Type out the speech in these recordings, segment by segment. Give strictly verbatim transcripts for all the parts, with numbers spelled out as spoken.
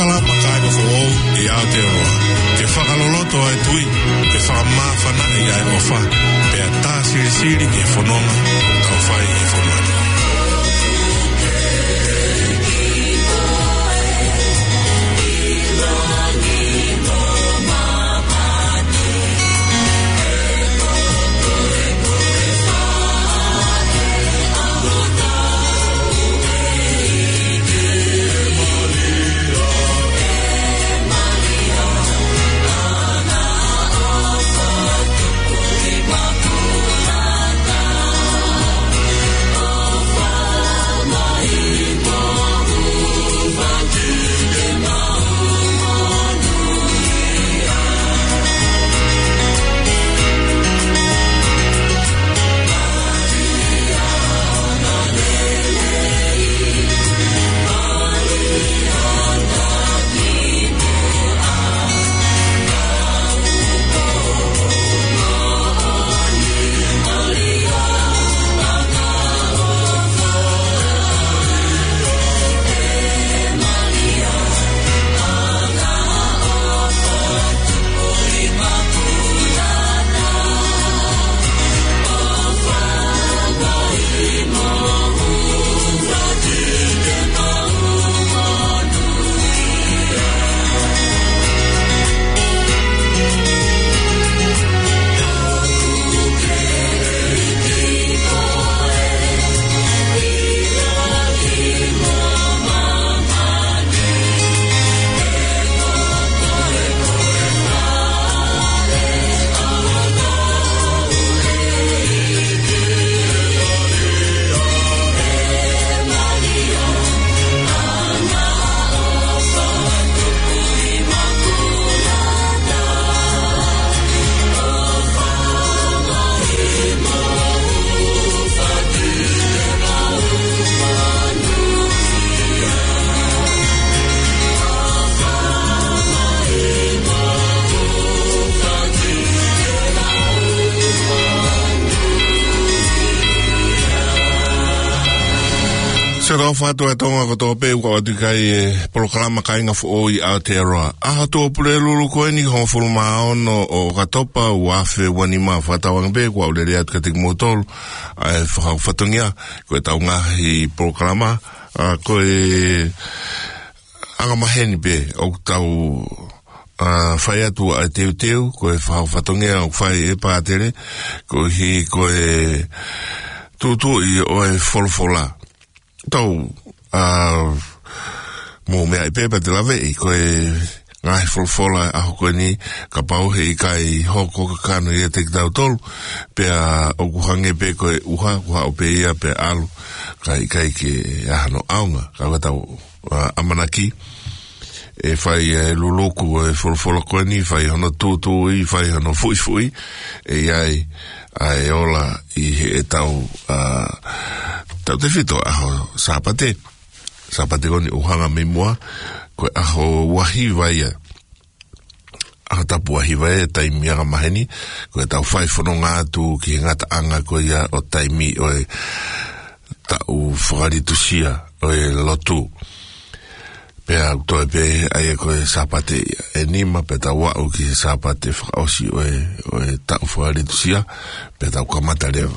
Kalama kāinga foʻou ʻi Aotearoa, ke fakaloloto ʻa e tui, ke fakamāfanaʻi ʻa e ʻofa, pea tā silisili ki he fononga ʻoku tau fai ʻi he fonua ni. Siʻoto ʻofa atu ʻa Tonga kotoa pē, ʻoku ʻoatu ki ai e polokalama Kāinga Foʻou ʻi Aotearoa. ʻAho Tuʻapulelulu ko eni, hongofulu mā ono ʻo ʻOkatopa, ua afe ua nima. Fakatauange pē kuo u lele atu kiate kimoutolu ʻa e fakahoko fatongia, ko ʻetau ngaahi polokalama, ʻa, ko e angamaheni pē ʻoku tau, ʻa, fai atu ʻa e teuteu, ko e fakahoko fatongia ʻoku fai ʻe Pātele, koeʻuhi ko e tūtuuʻi ʻo e folofola. Tau, ʻa, mou meaʻi pē pea te u laveʻi, ko e ngaahi folofola ʻo e ʻaho ko eni, kapau he ʻikai hoko kakano ʻiate kitautolu, pea ʻoku hangē pē ko e ʻuha, ʻuha ʻo pē ia pea ʻalu, kae ʻikai ke ʻi ai hano ʻaonga. Ka ko ʻetau, ʻa, ʻamanaki, ʻe fai e luluku ʻo e folofola ko eni, fai hono tūtuuʻi, fai hono fuʻifuʻi, ʻe ʻi ai ʻa e ola ʻi heʻetau, ʻa, tautefito ʻaho Sāpate. Sāpate ko eni ʻoku hanga mei muʻa, ko e ʻaho ua hiva ia. ʻAho tapu ua hiva e taimi angamaheni, ko ʻetau fai fononga atu ki he ngataʻanga ko ia ʻo e taimi ʻo ʻetau fakalitusia ʻo e lotu. Pea ʻoku toe pē ʻa ia ko e Sāpate ʻe nima, pea tau aʻu ki he Sāpate fakaʻosi ʻo e, ʻo ʻetau fakalitusia, pea tau kamata leva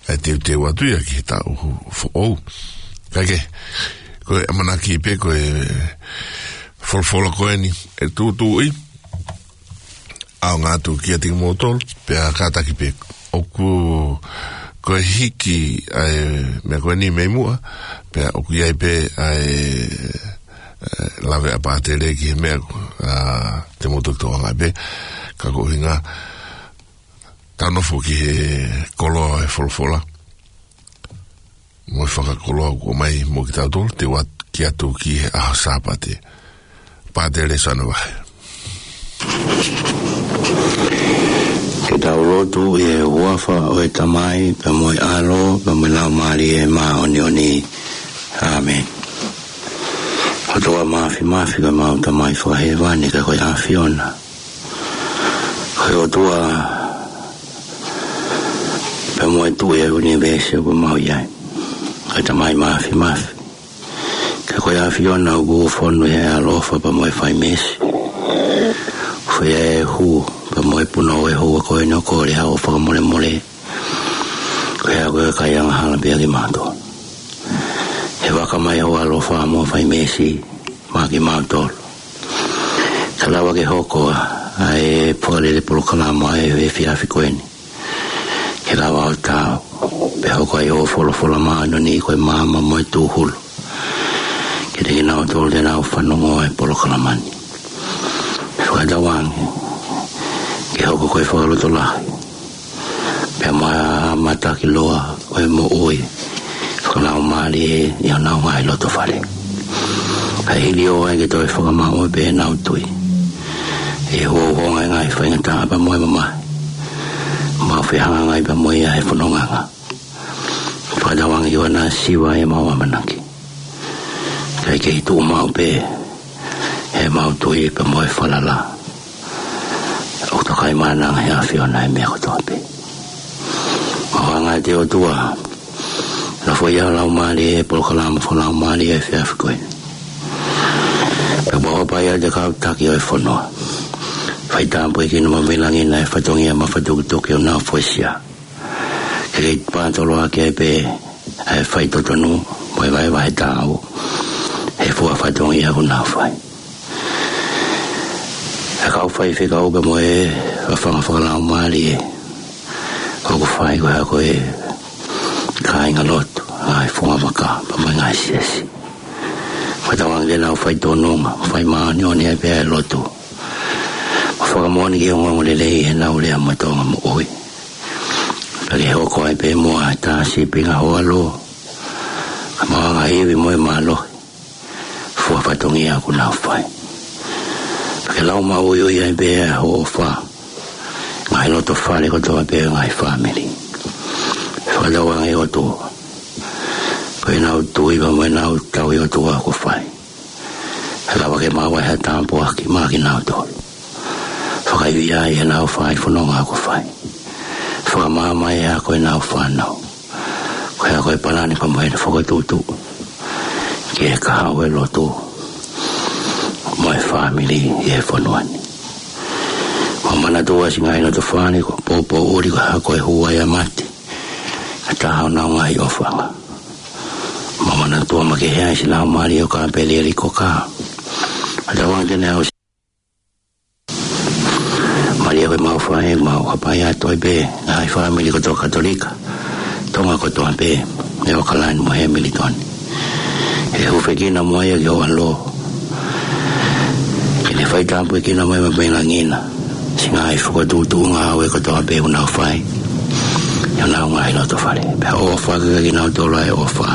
ʻa e teuteu atu ia ki he taʻu foʻou. Kae kehe, ko e ʻamanaki pē ko e folofola ko eni ʻe tūtuuʻi, ʻaonga atu kiate kimoutolu, pea kātaki pē ʻoku, ko e hiki ʻa e meʻa ko eni mei muʻa, pea ʻoku ʻi ai pē ʻa e, ʻe, lave ʻa Pātele ki he meʻa, ʻa, te mou toki toʻo ange pē, ka ko e ʻuhinga, tau nofo ki he koloa ʻo e folofola. Mo e fakakoloa kuo ʻomai mo kitautolu, te u ʻoatu ki he ʻaho Sāpate. Pātele Sano Vahe. Ke tau lotu. ʻI he huafa ʻo e Tamai, pea mo e ʻAlo, pea mo e Laumālie Māʻoniʻoni. ʻĀmeni. ʻOtua Māfimafi, ko ʻemau Tamai Fakahēvani, ka ko e ʻAfiona. Ko e ʻOtua pea mo e Tuʻi ʻo e ʻunivēsi ʻoku mau ʻi ai. Ko e Tamai Māfimafi. Ka Ko e ʻAfiona ʻoku fonu he ʻaloʻofa pea mo e faimeesi. Fai e hū pea mo e punou ʻo e houa ko eni ʻo kole haʻo fakamolemole. Ko e hā ko e kai angahala pē ʻa kimautolu. He vaka mai ho ʻaloʻofa mo e faimeesi maʻa kimautolu. Ka lava ke hoko ʻa e fakalele polokalama ʻa e efiafi ko eni. Ke lava ʻo taau, pea hoko ai hoʻo folofola māʻoniʻoni ko e maama mo e tūhulu. Kiate kinautolu te nau fanongo ʻa e polokalama ni. Fakatauange, ke hoko ko e fakalotolahi. Pea mo e matakiloa ʻo e moʻui fakalaumālie ʻi honau ngaahi loto fale. Kae hili ʻo ʻai ke toe fakamaʻu pē ʻenau tui. ʻI he houngaʻia e ngaahi faingataʻa pea mo e mamahi. Mau fehangahangai pea mo ia he fonongaʻanga. Fakatauange ʻoku na siva ʻemau ʻamanaki. Kae kei tuʻu maʻu pē ʻemau tui pea mo e falala. ʻOku toka ʻi mānanga he ʻAfiona ʻa e meʻa kotoa pē. Mau hanga ʻe he ʻOtua. Nofo ʻi ho Laumālie he polokalama fakalaumālie ʻa e efiafi ko eni. Pea mau hapai ʻa e kau taki ʻo e fonua. Fai tāpuekina mo maʻu langi ʻa e fatongia mafatukituki ʻo nau foisia. Ke kei pātoloaki ai pē ʻa e faitotonu mo e vahevahe taau. He fua fatongia ʻoku nau fai. ʻA e kau faifekau pea mo e fafanga fakalaumālie. ʻOku fai ko e hā ko e kāingalotu, ʻa e fungavaka, pea mo e ngaahi siasi. Fakatauange te nau fai tōnunga, fai māʻoniʻoni ai pē ʻa e lotu. Mo fakamoʻoni ki he ongoongolelei ʻi heʻenau lea mo e tōʻonga moʻui. Pea ke hoko ai pē muʻa ʻa e tā sīpinga ho ʻAlo. Ka mau hanga ʻo ivi mo e mālohi. Fua fatongia ʻoku nau fai. Pea ke lau maʻuiʻui ai pē ʻa hoʻo ʻofa. Ngaahi loto fale kotoa pē ngaahi fāmili. Fakatauange ʻOtua. Ko ʻenau tui pea mo ʻenau tauhi ʻOtua ʻoku fai. He lava ke maʻu ai ha tāpuaki maʻa kinautolu. Fakaivia ai ʻenau fai fononga ʻoku fai. Fakamaama ai ʻa ko ʻenau fānau. Ko e hā ko e palani pea mo e fokotuʻutuʻu. Ki he kahaʻu ʻo e lotu. Mo e fāmili ʻi he fonua ni. Mau manatua siʻi ngaahi loto fale ko e poupou ʻuli ko e hā ko e hū ai ʻa mate. Ka taha ʻo nau ngaahi ʻofaʻanga. Mau manatua makehe ai siʻi laumālie ʻo Kāpelieli Koka. Fakatauange te ne ʻosi Malia ko e mau fai, mau hapai atu ai pē, ngaahi fāmili kotoa Katolika, Tonga kotoa pē, ʻi ʻAokalani mo Hemilitoni. ʻE hūfekina mo ia ki ho ʻAlo. Ke ne fai tāpuekina mo e mapelangiʻina. Siʻi ngaahi fokotuʻutuʻu ngāue kotoa pē ʻoku nau fai. ʻI honau ngaahi loto fale. Pea ʻofa kiate kinautolu ʻa e ʻofa.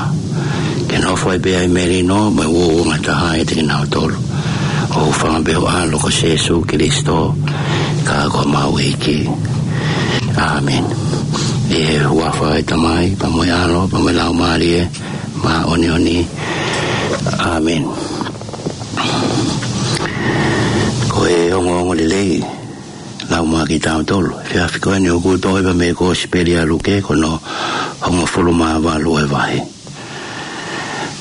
Ke nofo ai pē ʻa e melino, mo e uouangataha ʻiate kinautolu. ʻOku fai pē ʻi ho ʻAlo ko Sīsū Kilisitō, ka ko homau ʻEiki. ʻĀmeni. ʻI he huafa ʻo e Tamai, pea mo e ʻAlo, pea mo e Laumālie Māʻoniʻoni. ʻĀmeni. Ko e ongoongolelei, lau maʻa kitautolu. Efiafi ko eni ʻoku toʻo ia mei he Kosipeli ʻa Luke ko hono hongofulu mā valu ʻo e vahe.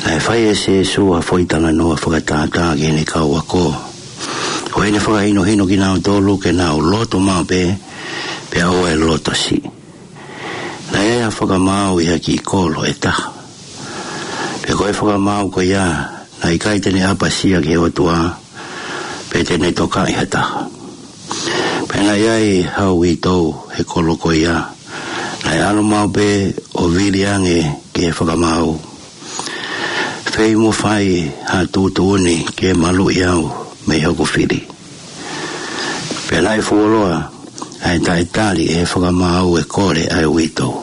Naʻe fai ʻe Sīsū ha foʻi talanoa fakatātā ki heʻene kau ako. Ko ʻene fakahinohino kinautolu ke nau lotu maʻu pē, pea ʻoua ʻe loto siʻi. Naʻe ʻi ai ha fakamaau ʻi ha kiʻi kolo ʻe taha. Pea ko e fakamaau ko ia, naʻe ʻikai te ne ʻapasia ki he ʻOtua, pe te ne tokaʻi ha taha. Pea naʻe ʻi ai ha uitou he kolo ko ia, naʻe ʻalu maʻu pē ʻo vili ange ki he fakamaau. Fei mo fai ha tuʻutuʻuni ke maluʻi au mei hoku fili. Pea naʻe fuoloa ʻa e taʻetali ʻe he fakamaau ʻe kole ʻa e uitou.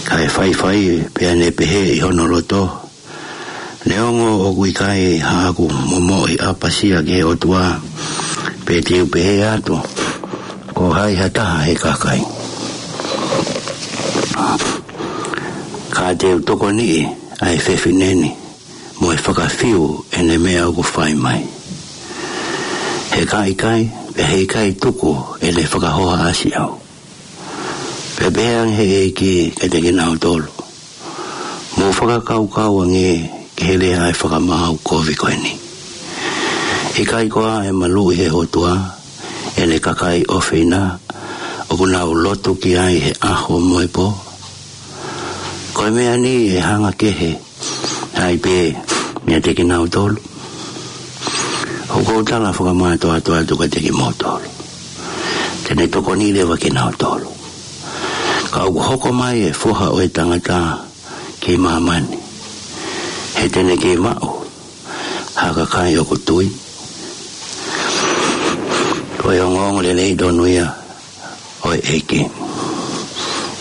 Kae faifai pea ne pehē ʻi hono loto, neongo ʻoku ʻikai haʻaku momoʻi ʻapasia ki he ʻOtua, pe te u pehē atu, ko hai ha taha he kakai. Ka te u tokoniʻi ʻa e fefine ni, mo e fakafiu ʻene meʻa ʻoku fai mai. He ka ʻikai, pea heʻikai tuku ʻene fakahohaʻasi au. Pea pehē ange ʻe he ʻEiki kiate kinautolu. Mou fakakaukau ange ki he lea ʻa e fakamaau kovi ko eni. ʻIkai koā ʻe maluʻi ʻe he ʻOtua ʻene kakai ʻofeina ʻoku nau lotu ki ai he ʻaho mo e pō? Ko e meʻa ni ʻe hanga kehe ai pē meiate kinautolu? ʻOku ou tala fakamātoato atu kiate kimoutolu, te ne tokoniʻi leva kinautolu. Ka ʻoku hoko mai e Foha ʻo e Tangata ki māmani, he te ne kei maʻu ha kakai ʻoku tui. Ko e ongoongolelei tonu ia ʻo e ʻEiki.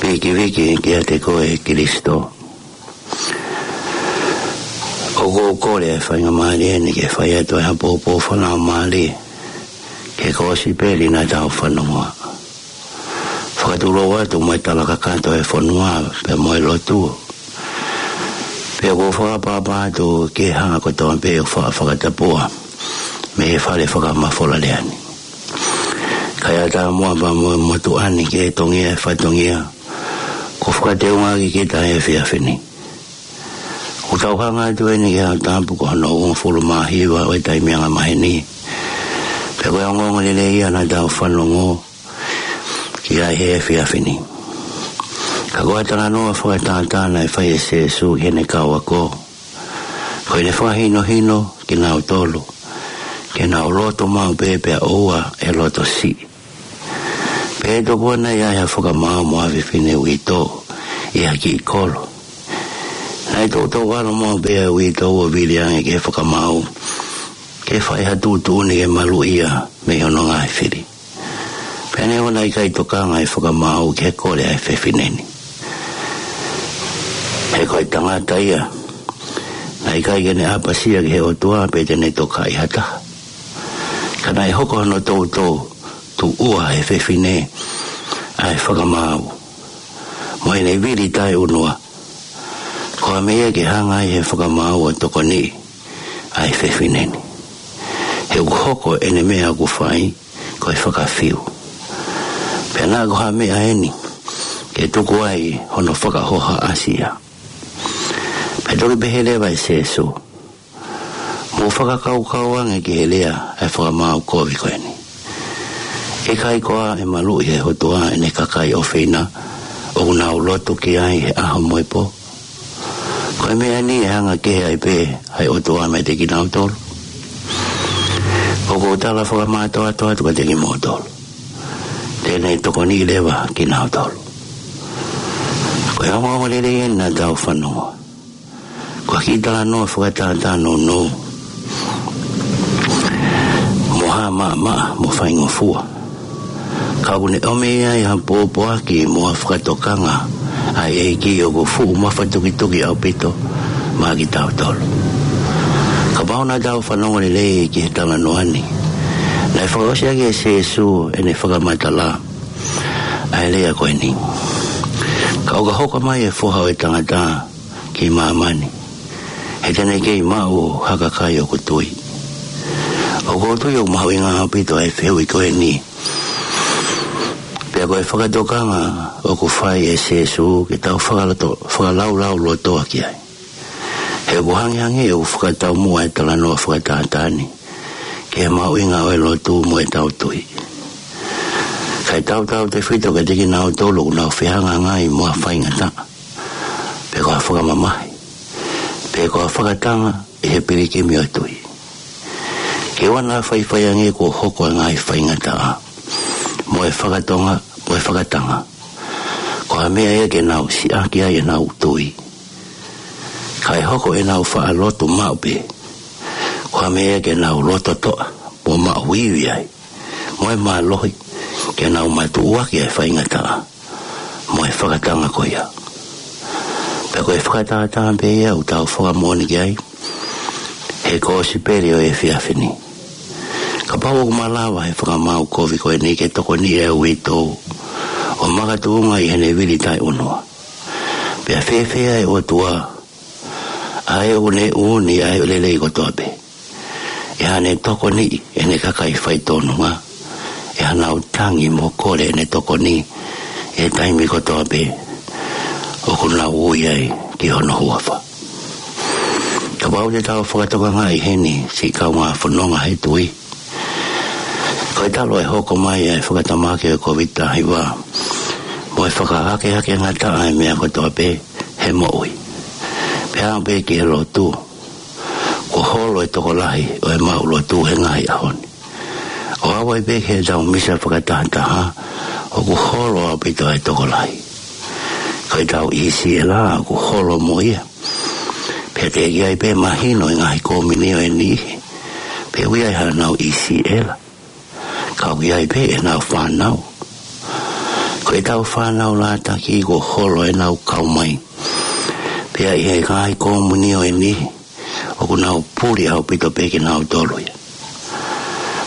Vikiviki kiate koe Kilisitō. ʻOku ou kole e faingamālie ni ke fai atu ha pōpoaki fakalaumālie ki he kosipeli naʻa tau fanongoa. Fakatulou atu mo e tala kakato e fonua pea mo e lotu. Pea ʻoku ou fakaʻapaʻapa atu ki he hā kotoa pē ʻoku fa-, fakatapua mei he fale fakamafola lea ni. Kae ʻatā muʻa pea mo e motuʻa ni ke tongia e fatongia kuo fakateungaʻaki kita he efiafi ni. ʻOku tau hanga atu eni ki he Aho Tapu ko hono uofulu mā hiva ʻo e taimi angamaheni. Pea ko e ongoongolelei ia naʻa tau fanongo ki ai he efiafi ni. Ka ko e talanoa fakatātā naʻe fai ʻe Sīsū ki heʻene kau ako, ko ʻene fakahinohino kinautolu ke nau loto maʻu pē pea ʻoua ʻe loto siʻi. Pea tokua naʻe ʻi ai ha fakamaau mo ha fefine uitou ʻi ha kiʻi kolo. Naʻe toutou ʻalu maʻu pē ʻa e uitou ʻo vili ange ki he fakamaau ke fai ha tuʻutuʻuni ke maluʻi ia mei hono ngaahi fili. Pea neongo naʻe ʻikai tokanga e fakamaau ki he kole ʻa e fefine ni, he ko e tangata ia, naʻe ʻikai ke ne ʻapasia ki he ʻOtua pe te ne tokaʻi ha taha. Ka naʻe hoko hono toutou tuʻua ʻe he fefine ʻa e fakamaau mo ʻene vili taʻeʻunua. Ko ha meʻa ia ke hanga ai he fakamaau ʻo tokoniʻi ʻa e fefine ni, he ʻoku hoko ʻene meʻa ʻoku fai ko e fakafiu. Pea naʻa ko ha meʻa eni ke tuku ai hono fakahohaʻasi ia. Pea toki pehē leva ʻe Sīsū, mou fakakaukau ange ki he lea ʻa e fakamaau kovi ko eni. ʻIkai koā ʻe maluʻi ʻe he ʻOtua ʻene kakai ʻofeina ʻoku nau lotu ki ai he ʻaho mo e pō? Ko e meʻa ni ʻe hanga kehe ai pē ʻa e ʻOtua meiate kinautolu? ʻOku ou tala fakamātoato atu kiate kimoutolu, te ne tokoniʻi leva kinautolu. Ko e ongoongolelei eni naʻa tau fanongoa. Ko e kiʻi talanoa fakatātā nounou mo hā maʻamaʻa mo faingofua. Ka ʻoku ne ʻomi ai ha pōpoaki mo ha fakatokanga ʻa e ʻEiki ʻoku fuʻu mafatukituki ʻaupito maʻa kitautolu. Kapau naʻa tau fanongo lelei ki he talanoa ni, naʻe fakaʻosi ʻaki ʻe Sīsū ʻene fakamatala ʻa e lea ko eni. Ka ʻo ka hoko mai e Foha ʻo e Tangata ki māmani, he te ne kei maʻu ha kakai ʻoku tui. ʻOku ou tui ʻoku mahuʻinga ʻaupito ʻa e fehuʻi ko eni. Pea ko e fakatokanga ʻoku fai ʻe Sīsū ke tau fakaloto, fakalaulaulotoa ki ai. He ʻoku hangehangē ʻoku fakataumuʻa e talanoa fakatātā ni ki he mahuʻinga ʻo e lotu mo ʻetau tui. Kae tautautefito kiate kinautolu ʻoku nau fehangahangai mo ha faingataʻa, pe ko ha fakamamahi, pe ko ha fakatanga ʻi he pilikimi ʻo e tui. Ke ʻoua naʻa faifai ange kuo hoko e ngaahi faingataʻa mo e fakatonga, mo e fakatanga ko ha meʻa ia ke nau siʻaki ai ʻenau tui, kae hoko ʻenau faʻa lotu maʻu pē ko ha meʻa ia ke nau loto toʻa mo maʻu ivi ai, mo e mālohi ke nau matuʻuaki e faingataʻa mo e fakatanga ko ia. Pea ko e fakatātā pē ia ʻoku tau fakamoʻoni ki ai he kosipeli ʻo e efiafi ni. Kapau ʻoku malava he fakamaau kovi ko eni ke tokoniʻi e uitou ʻo makatuʻunga ʻi heʻene vili taʻeʻunua, pea fēfē ʻa e ʻOtua, ʻa ē ʻoku ne ʻuuni ʻa e lelei kotoa pē, ʻe haʻane tokoniʻi ʻene kakai faitōnunga ʻi haʻanau tangi mo kole ʻene tokoni ʻi he taimi kotoa pē ʻoku nau ui ai ki hono huafa? Kapau te tau fakatokangaʻi heni, siʻi kaungā fononga he tui, ko e talu e hoko mai e fakatamaki ʻo e Kōviti taha hiva mo e fakahakehake ngataʻa e meʻa kotoa pē he moʻui, pea aʻu pē ki he lotu, kuo holo e tokolahi ʻo e maʻu lotu he ngaahi ʻaho ni. ʻO aʻu ai pē ki heʻetau misa fakatahataha, ʻoku holo ʻaupito e tokolahi. Ko ʻetau ʻi sila ʻoku holo mo ia. Pea teʻeki ai pē mahino e ngaahi kōmini ʻo e niʻihi pe ʻoku ʻi ai haʻanau ʻi sila. Ka ʻoku ʻi ai pē ʻenau fānau. Ko ʻetau fānau lātaki kuo holo ʻenau kau mai. Pea ʻi he ngaahi kōmini ʻo e niʻihi, ʻoku nau puli ʻaupito pē kinautolu ia.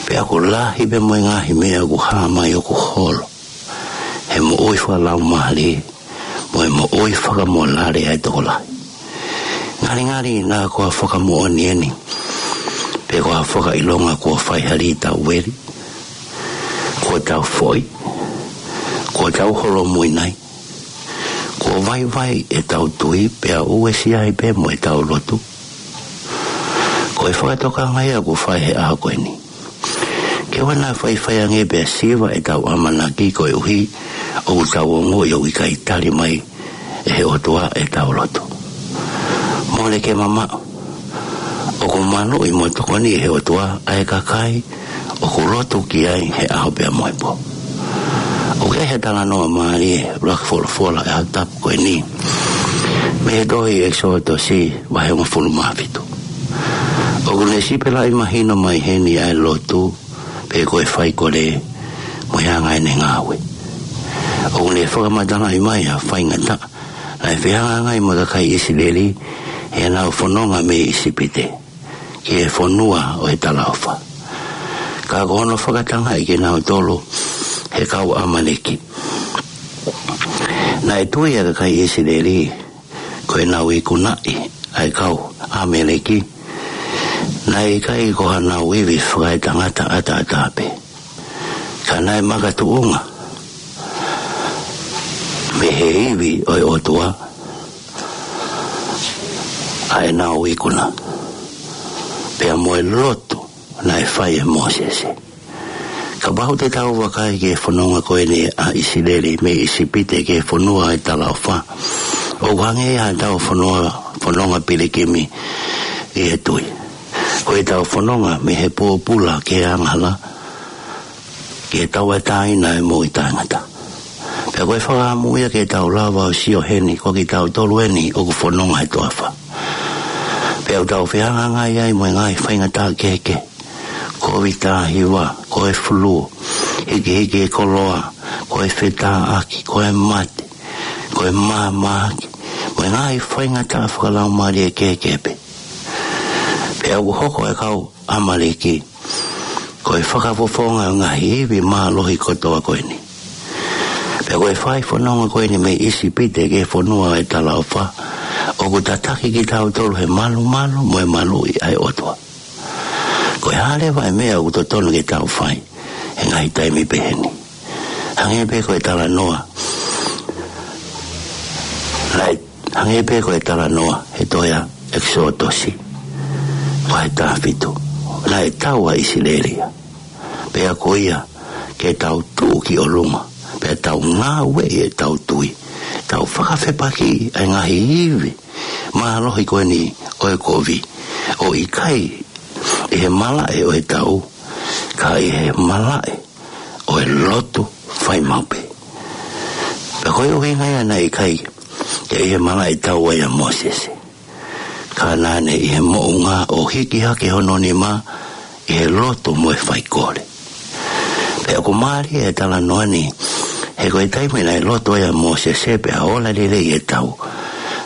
Pea ʻoku lahi pē mo e ngaahi meʻa ʻoku hā mai ʻoku holo he moʻui fakalaumālie mo e moʻui fakamolale ʻa e tokolahi. Ngalingali naʻa ko ha fakamoʻoni eni, pe ko ha fakaʻilonga kuo fai ha lī tau veli, kuo tau foʻi, kuo tau holomui nai, kuo vaivai ʻetau tui pea uesia ai pē mo ʻetau lotu. Ko e fakatokanga ia ʻoku fai he ʻaho ko eni. Ke ʻoua naʻa faifai ange pea siva ʻetau ʻamanaki koeʻuhi ʻoku tau ongoʻi ʻoku ʻikai tali mai ʻe he ʻOtua ʻetau lotu. Mole ke mamaʻo. ʻOku maluʻi mo tokoni ʻe he ʻOtua ʻa e kakai ʻoku lotu ki ai he ʻaho pea mo e pō. ʻOku ʻi ai ha talanoa mālie ʻoku ʻuluaki folofola ʻe he Tohi Tapu ko eni mei he tohi ʻEkisoto vahe hongofulu mā fitu. ʻOku ne sipelaʻi mahino mai heni ʻa e lotu pe ko e faikole mo e anga ʻene ngāue. ʻOku ne fakamatalaʻi mai ha faingataʻa naʻe fehangahangai mo e kakai ʻIsileli heʻenau fononga mei ʻIsipite ki he fonua ʻo e talaʻofa. Ka ko hono fakatangaʻi kinautolu he kau ʻAmaleki. Naʻe tui ʻa e kakai ʻIsileli ko ʻenau ikunaʻi ʻa e kau ʻAmaleki, naʻe ʻikai ko hanau ivi fakaetangata ʻataʻatā pē. Ka naʻe makatuʻunga mei he ivi ʻo e ʻOtua ʻa ʻenau ikuna pea mo e lotu naʻe fai ʻe Mōsese. Kapau te tau vakai ki he fononga ko eni ʻa ʻIsileli mei ʻIsipite ki he fonua ʻo e talaʻofa, ʻoku hangē ia haʻatau fononga, fononga pilikimi ʻi he tui. Ko ʻetau fononga mei he pōpula ki he angahala, ki he tauʻatāina e moʻui taʻengata. Pea ko e fakaʻamu ia ke tau lava ʻo sio heni, ko kitautolu eni ʻoku fononga he toafa. Pea ʻoku tau fehangahangai ai mo e ngaahi faingataʻa kehekehe. Kōviti taha hiva, ko e fulū, hikihiki e koloa, ko e fetāʻaki, ko e mate, ko e māmāhaki, mo e ngaahi faingataʻa fakalaumālie kehekehe pē. Pea ʻoku hoko e kau ʻAmaleki ko e fakafofonga ʻo e ngaahi ivi mālohi kotoa ko eni. Pea ko e fai fononga ko eni mei ʻIsipite ki he fonua ʻo e talaʻofa, ʻoku tataki kitautolu he malumalu mo e maluʻi ʻa e ʻOtua. Ko e hā leva e meʻa ʻoku totonu ke tau fai he ngaahi taimi pehē ni? Hangē pē ko e talanoa naʻe, hangē pē ko e talanoa he tohi ʻa ʻEkisoto vahe taha fitu. Naʻe tau ʻa ʻIsileli ia. Pea ko ia ke tau tuʻu ki ʻolunga, pea tau ngāueʻi ʻetau tui, tau fakafepakiʻi ʻa e ngaahi ivi mālohi ko eni ʻo e kovi, ʻo ʻikai ʻi he malaʻe ʻo e tau, ka ʻi he malaʻe ʻo e lotu fai maʻu pē. Pea ko e ʻuhinga ia naʻe ʻikai ke ʻi he malaʻe tau ai ʻa Mōsese, ka naʻa ne ʻi he moʻunga ʻo hiki hake hono nima ʻi he lotu mo e faikole. Pea ʻoku mālie e talanoa ni, he ko e taimi naʻe lotu ai ʻa Mōsese pea ola lelei e tau,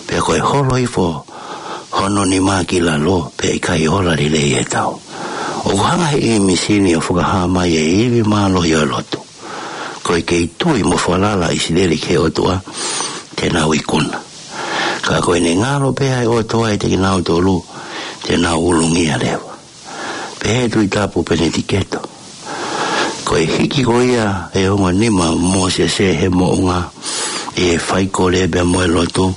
pea ko e holo hifo hono nima ki lalo pea ʻikai ola lelei e tau. ʻOku hanga he ʻīmisi ni ʻo fakahā mai e ivi mālohi ʻo e lotu. Ko e kei tui mo falala ʻa ʻIsileli ki he ʻOtua, te nau ikuna. Ka ko ʻene ngalo pē ʻa e ʻOtua ʻiate kinautolu, te nau ulungia leva. Pehē ʻe he Tohi Tapu Penitiketo, ko e hiki ko ia e ongo nima ʻo Mōsese he moʻunga ʻi he faikole pea mo e lotu,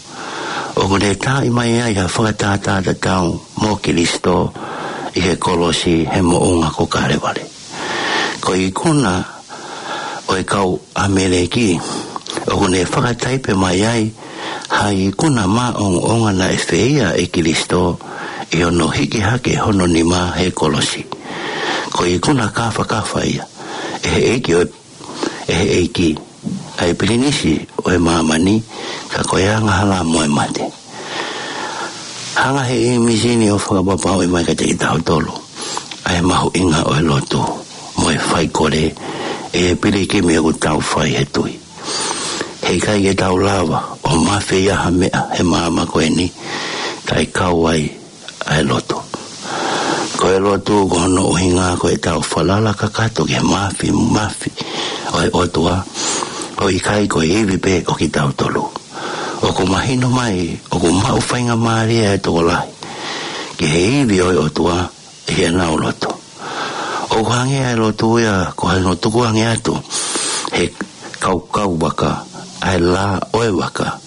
ʻoku ne taaʻi mai ai ha fakatātā tatau mo Kilisitō ʻi he kolosi he moʻunga ko Kalevale. Ko e ikuna ʻo e kau ʻAmeleki, ʻoku ne fakataipe mai ai ha ikuna māʻongoʻonga naʻe feia ʻe Kilisitō ʻi hono hiki hake hono nima he kolosi. Ko e ikuna kāfakafa ia ʻe he ʻEiki ʻo e ʻe he ʻEiki, ʻa e pilinisi ʻo e māmani, ka ko e angahala mo e mate. Hanga he ʻīmisi ni ʻo fakapapauʻi mai kiate kitautolu ʻa e mahuʻinga ʻo e lotu mo e faikole ʻi he pilikimi ʻoku tau fai he tui. He ʻikai ke tau lava ʻo mafeia ha meʻa he māmani ko eni, kae kau ai ʻa e lotu. Ko e lotu ko hono ʻuhinga ko ʻetau falala kakato ki he māfimafi ʻo e ʻOtua, ʻo ʻikai ko e ivi pē ʻo kitautolu. ʻOku mahino mai ʻoku maʻu faingamālie ʻa e tokolahi ki he ivi ʻo e ʻOtua ʻi heʻenau lotu. ʻOku hangē ʻa e lotu ia ko hono tukuange atu he kaukau vaka ʻa e lā ʻo e vaka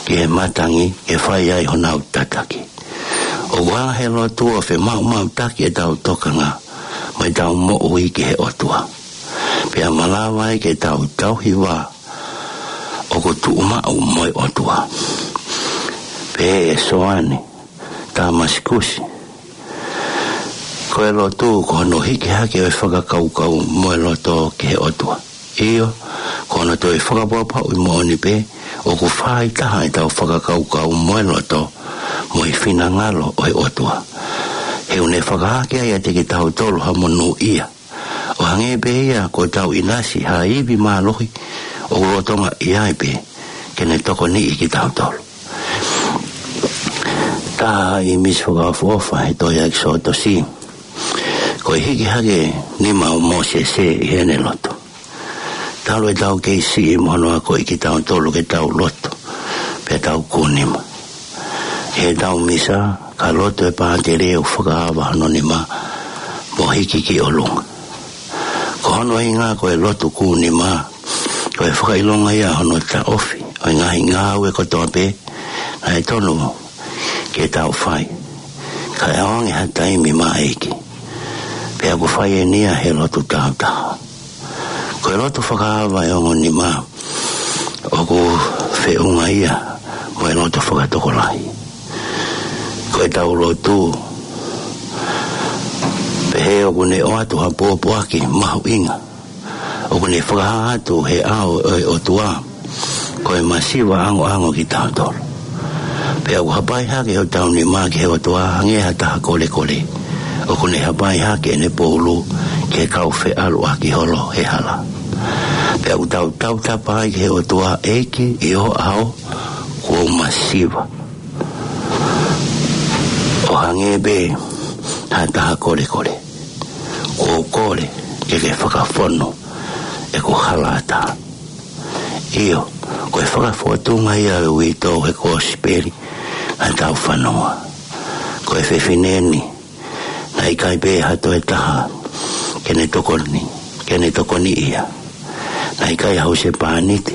ki he matangi ke fai ai honau tataki. ʻOku hanga he lotu ʻo femaʻumaʻutaki ʻetau tokanga mo ʻetau moʻui ki he ʻOtua, pea malava ai ke tau tauhi vā ʻoku tuʻumaʻu mo e ʻOtua. Pehē ʻe Soane Tāmasikusi, ko e lotu ko hono hiki hake ʻo e fakakaukau mo e loto ki he ʻOtua. ʻIo, ko hono toe fakapapauʻi moʻoni pē ʻoku fāitaha ʻetau fakakaukau mo e loto mo e finangalo ʻo e ʻOtua. He ʻoku ne fakahake ai ʻiate kitautolu ha monūʻia, ʻo hangē pē ia ko ʻetau ʻinasi ha ivi mālohi ʻoku lolotonga ʻi ai pē ke ne tokoniʻi kitautolu. Taha ʻīmisi fakaʻofoʻofa he tohi ʻEkisoto, ko e hiki hake nima ʻo Mōsese ʻi heʻene lotu. Talu ʻetau kei siʻi mo hono akoʻi kitautolu ke tau lotu pea tau kū nima. ʻI heʻetau misa, ka lotu e pātele ʻo fakaava hono nima mo hiki ki ʻolunga. Ko hono ʻuhinga ko e lotu kū nima, ko e fakaʻilonga ia hono taʻofi ʻo e ngaahi ngāue kotoa pē naʻe tonu ke tau fai, kae ʻoange ha taimi maʻa e ʻEiki. Pea ʻoku fai eni ia he lotu tāutaha. Ko e lotu fakaava e ongo nima ʻoku feʻunga ia mo e lotu fakatokolahi. Ko ʻetau lotu, pehē ʻoku ne ʻoatu ha pōpoaki mahuʻinga, ʻoku ne fakahā atu he ʻao ʻo e ʻOtua ko e masiva ʻangoʻango kitautolu. Pea ʻoku hapai hake hotau nima ki he ʻOtua hangē ha taha kolekole ʻoku ne hapai hake ʻene poulu ki he kau feʻaluʻaki holo he hala. Pea ʻoku tau tautapa ai ki he ʻOtua, ʻEiki, ʻi ho ʻao kuo u masiva, ʻo hangē pē ha taha kolekole. Kuo u kole ke ke fakafonu ʻeku hala ʻatā. ʻIo, ko e fakafōtunga ia ʻo e uitou he kosipeli naʻa tau fanongoa. Ko e fefine ni, naʻe ʻikai pē ha toe taha ke ne tokoni, ke ne tokoniʻi ia. Naʻe ʻikai ha husepāniti,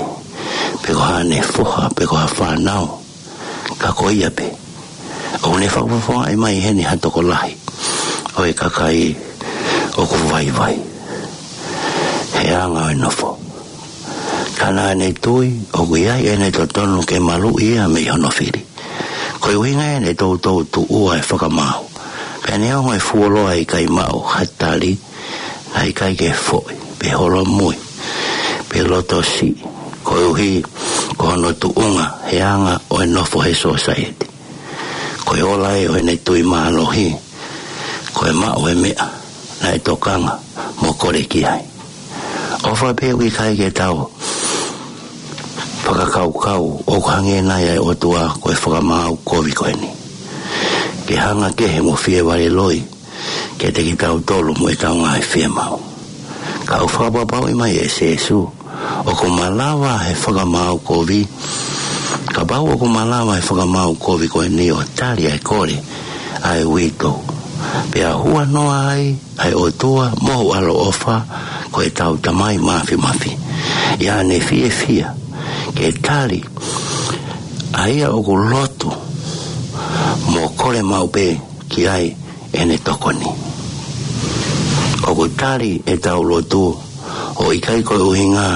pe ko haʻane foha, pe ko ha fānau. Ka ko ia pē, ʻoku ne fakafofongaʻi mai heni ha tokolahi ʻo e kakai ʻoku vaivai he anga ʻo e nofo. Ka naʻa ne tui ʻoku ʻi ai ʻene totonu ke maluʻi ia mei hono fili. Ko e ʻuhinga ia ne toutou tuʻua e fakamaau, pea neongo e fuoloa ʻikai maʻu ha tali, naʻe ʻikai ke foʻi, pe holomui, pe loto siʻi, koeʻuhi ko hono tuʻunga he anga ʻo e nofo he sōsaieti. Ko e ola ia ʻo ʻene tui mālohi, ko e maʻu e meʻa naʻe tokanga mo kole ki ai. ʻOfa pē ʻoku ʻikai ke tau fakakaukau ʻoku hangē nai ʻa e ʻOtua ko e fakamaau kovi ko eni, ke hanga kehe mo fie vale loi kiate kitautolu mo ʻetau ngaahi fiemaʻu. Ka ʻoku fakapapauʻi mai ʻe Sīsū, ʻoku malava he fakamaau kovi, kapau ʻoku malava he fakamaau kovi ko eni ʻo tali ʻa e kole ʻa e uitou, pea huanoa ai ʻa e ʻOtua mo hoʻo ʻaloʻofa ko ʻetau Tamai Māfimafi, ʻi haʻane fiefia ke tali ʻA ia ʻoku lotu mo kole maʻu pē ki ai ʻene tokoni. ʻOku tali ʻetau lotu ʻo ʻikai ko e ʻuhinga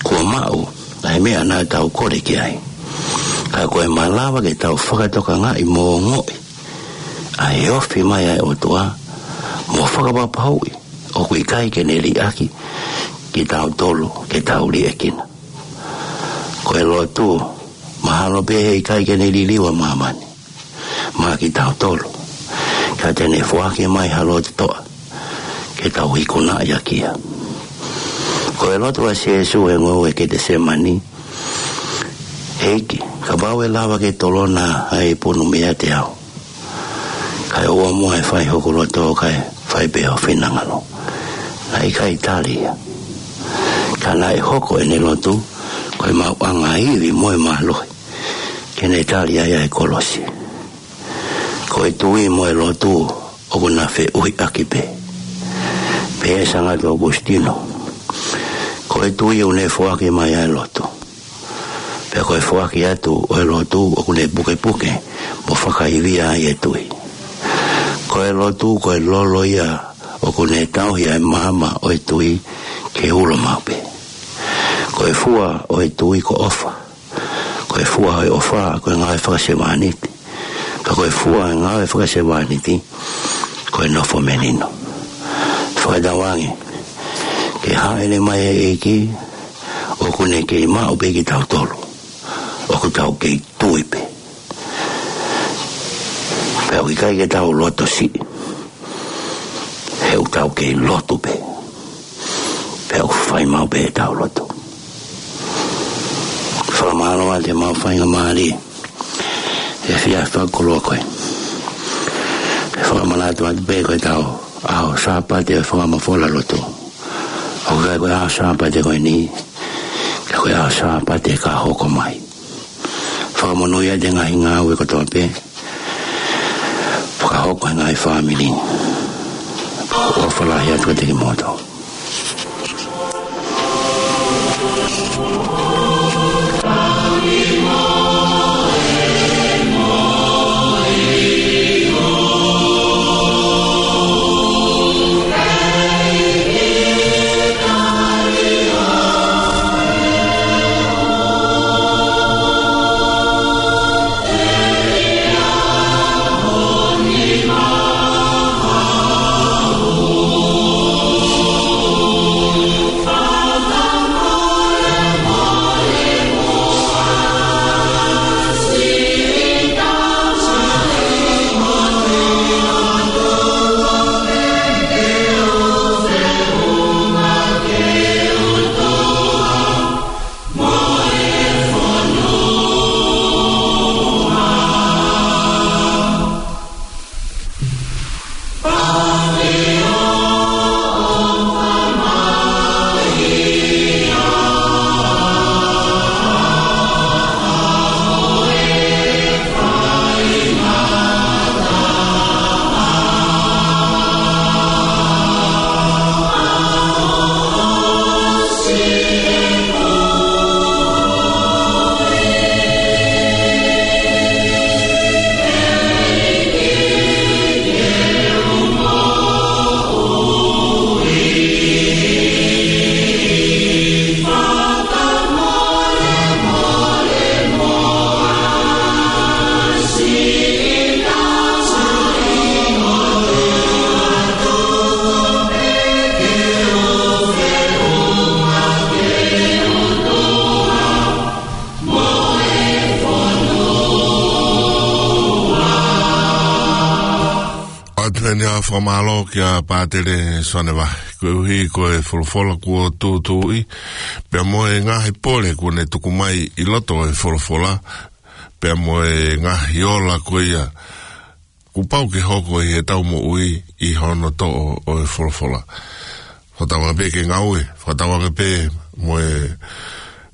kuo maʻu ʻa e meʻa naʻa tau kole ki ai. Ka ko e malava ke tau fakatokangaʻi mo ongoʻi ʻa e ofi mai ʻa e ʻOtua mo fakapapauʻi ʻoku ʻikai ke ne liʻaki kitautolu ke tau liʻekina. Ko e lotu, mahalo pē he ʻikai ke ne liliu ʻa māmani maʻa kitautolu, ka te ne foaki mai ha lotu toʻa ke tau ikunaʻi ʻaki ia. Ko e lotu ʻa Sīsū he ngoue Ketesemani: ʻEiki, kapau ʻe lava ke tolona ʻa e ipu nu meiate au, kae ʻoua muʻa ʻe fai hoku loto kae fai pē ho finangalo. Naʻe ʻikai tali ia. Ka naʻe hoko ʻene lotu ko e maʻuʻanga ivi mo e mālohi ke ne tali ai ʻa e kolosi. Ko e tui mo e lotu ʻoku na feʻuhiʻaki pē. Pehē ʻe Sangata ʻOkusitino, ko e tui ʻoku ne foaki mai ʻa e lotu, pea ko e foaki atu ʻo e lotu ʻoku ne pukepuke mo fakaivia ai e tui. Ko e lotu ko e lolo ia ʻoku ne tauhi ʻa e maama ʻo e tui ke ulo maʻu pē. Ko e fua ʻo e tui ko ʻofa. Ko e fua ʻo e ʻofa ko e ngāue fakasevāniti. Ka ko e fua ʻo e ngāue fakasevāniti ko e nofo melino. Fakatauange ke hāʻele mai e ʻEiki, ʻoku ne kei maʻu pē kitautolu ʻoku tau kei tui pē. Pea ʻoku ʻikai ke tau loto siʻi, he ʻoku tau kei lotu pē, pea ʻoku fai maʻu pē ʻetau lotu. Fakamālō atu ʻemau faingamālie he efiafi fakakoloa ko eni. ʻE fakamanatu atu pē ko ʻetau ʻaho Sāpate ʻo e fakamafola lotu, ʻoku ʻikai ko e ʻaho Sāpate ko eni, ka ko e ʻaho Sāpate ka hoko mai. Fakamonūʻia ʻa e ngaahi ngāue kotoa pē, fakahoko ʻe he ngaahi fāmili. ʻOfa lahi atu kiate kimoutolu. ʻOatu eni ʻa e fakamālō kia Pātele Soane Vahe, koeʻuhi ko e folofola kuo tūtuuʻi, pea mo e ngaahi pole kuo ne tuku mai ʻi loto ʻo e folofola, pea mo e ngaahi ola ko ia kuo pau ke hoko ʻi heʻetau moʻui ʻi hono toʻo ʻo e folofola. Fakatauange pē ke ngāue, fakatauange pē mo e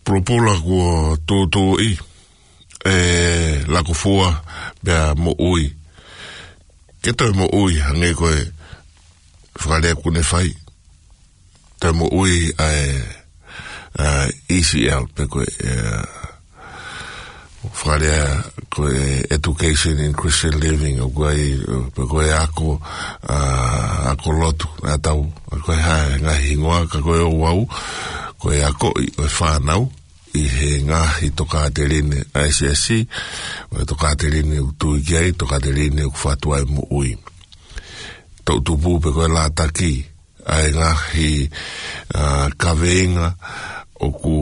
pulopula kuo tūtuuʻi, ʻe lakufua pea moʻui. Ke toe moʻui hangē ko e fakalea kuo ne fai. Toe moʻui ʻa e, ʻa e E C L pe ko e, ʻa e ko e lea ko e education in Christian living, ʻoku ʻi ai, pe ko e ako, ʻa, ako lotu, ʻa tau, ko e hā e ngaahi hingoa, ka ko e ouau, ko e akoʻi ʻo e fānau ʻi he ngaahi tokāteline ʻa e siasi, ʻo e tokāteline ʻoku tui ki ai, tokāteline ʻoku fatu ai moʻui. Toʻutupu pe ko e lātaki, ʻa e ngaahi, ʻa, kaveinga ʻoku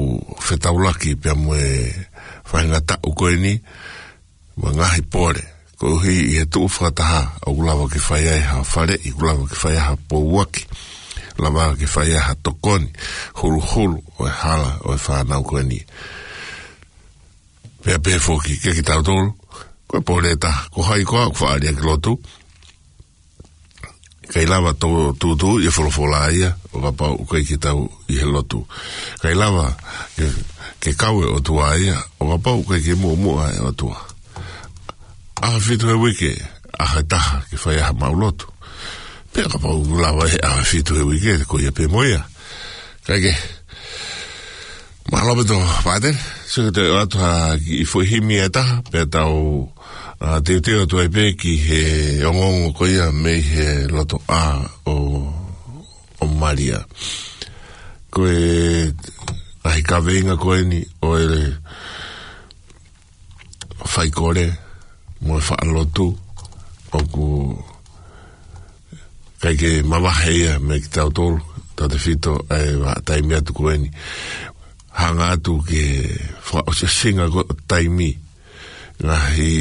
fetaulaki pea mo e faingataʻa ko eni, mo e ngaahi pole. Koeʻuhi ʻi he tuʻu fakataha, ʻoku lava ke fai ai ha faleʻi, ʻoku lava ke fai ai ha pouaki, lava ke fai ai ha tokoni, huluhulu ʻo e hala ʻo e fānau ko eni. Pea pehē foki kiate kitautolu, ko e pole ʻe taha, ko hai koā ʻoku faʻa ʻalu ki lotu, ʻikai lava ʻo tūtuuʻi e folofola ia ʻo kapau ʻoku ʻikai ke tau ʻi he lotu. ʻIkai lava ke, ke kau e ʻOtua ia ʻo kapau ʻoku ʻikai ke muʻomuʻa e ʻOtua. ʻAho ʻe fitu he uike, ʻaho ʻe taha ke fai ai haʻamau lotu. Pea kapau ʻoku lava he ʻaho ʻe fitu he uike, ko ia pē mo ia. Kae kehe, mālō ʻaupito, Pātele, sio ki he ʻoatu ha kiʻi foʻi himi ʻe taha, pea tau, ʻa, teuteu atu ai pē ki he ongoongo ko ia mei he lotoʻā ʻo, ʻo Malia. Ko e ngaahi kaveinga ko eni ʻo e faikole mo e faʻa lotu, ʻoku ʻikai ke mavahe ia meiate kitautolu, tautefito ʻa e vahaʻa taimi atu ko eni. Hanga atu ki he fakaʻosiʻosinga ko ē ʻo taimi, ngaahi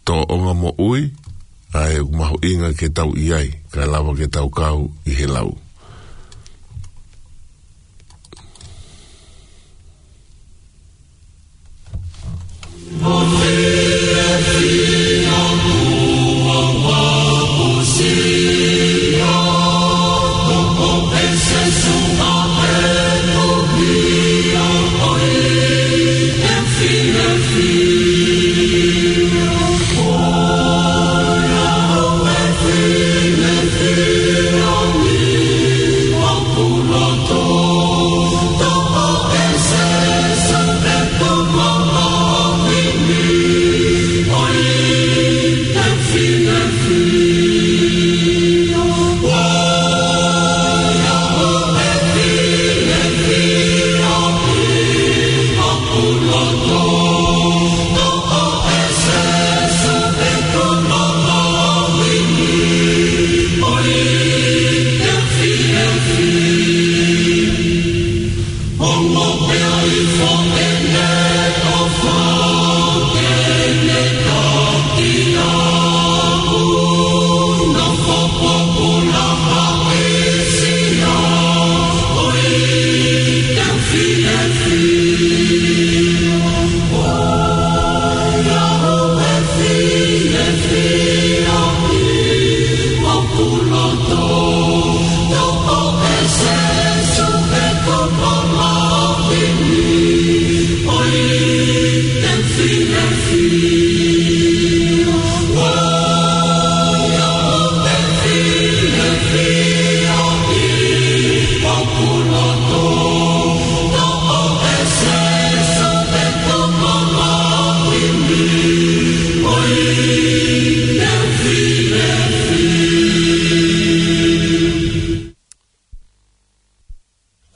tōʻonga moʻui, ʻa ē ʻoku mahuʻinga ke tau ʻi ai, kae lava ke tau kau ʻi he lau.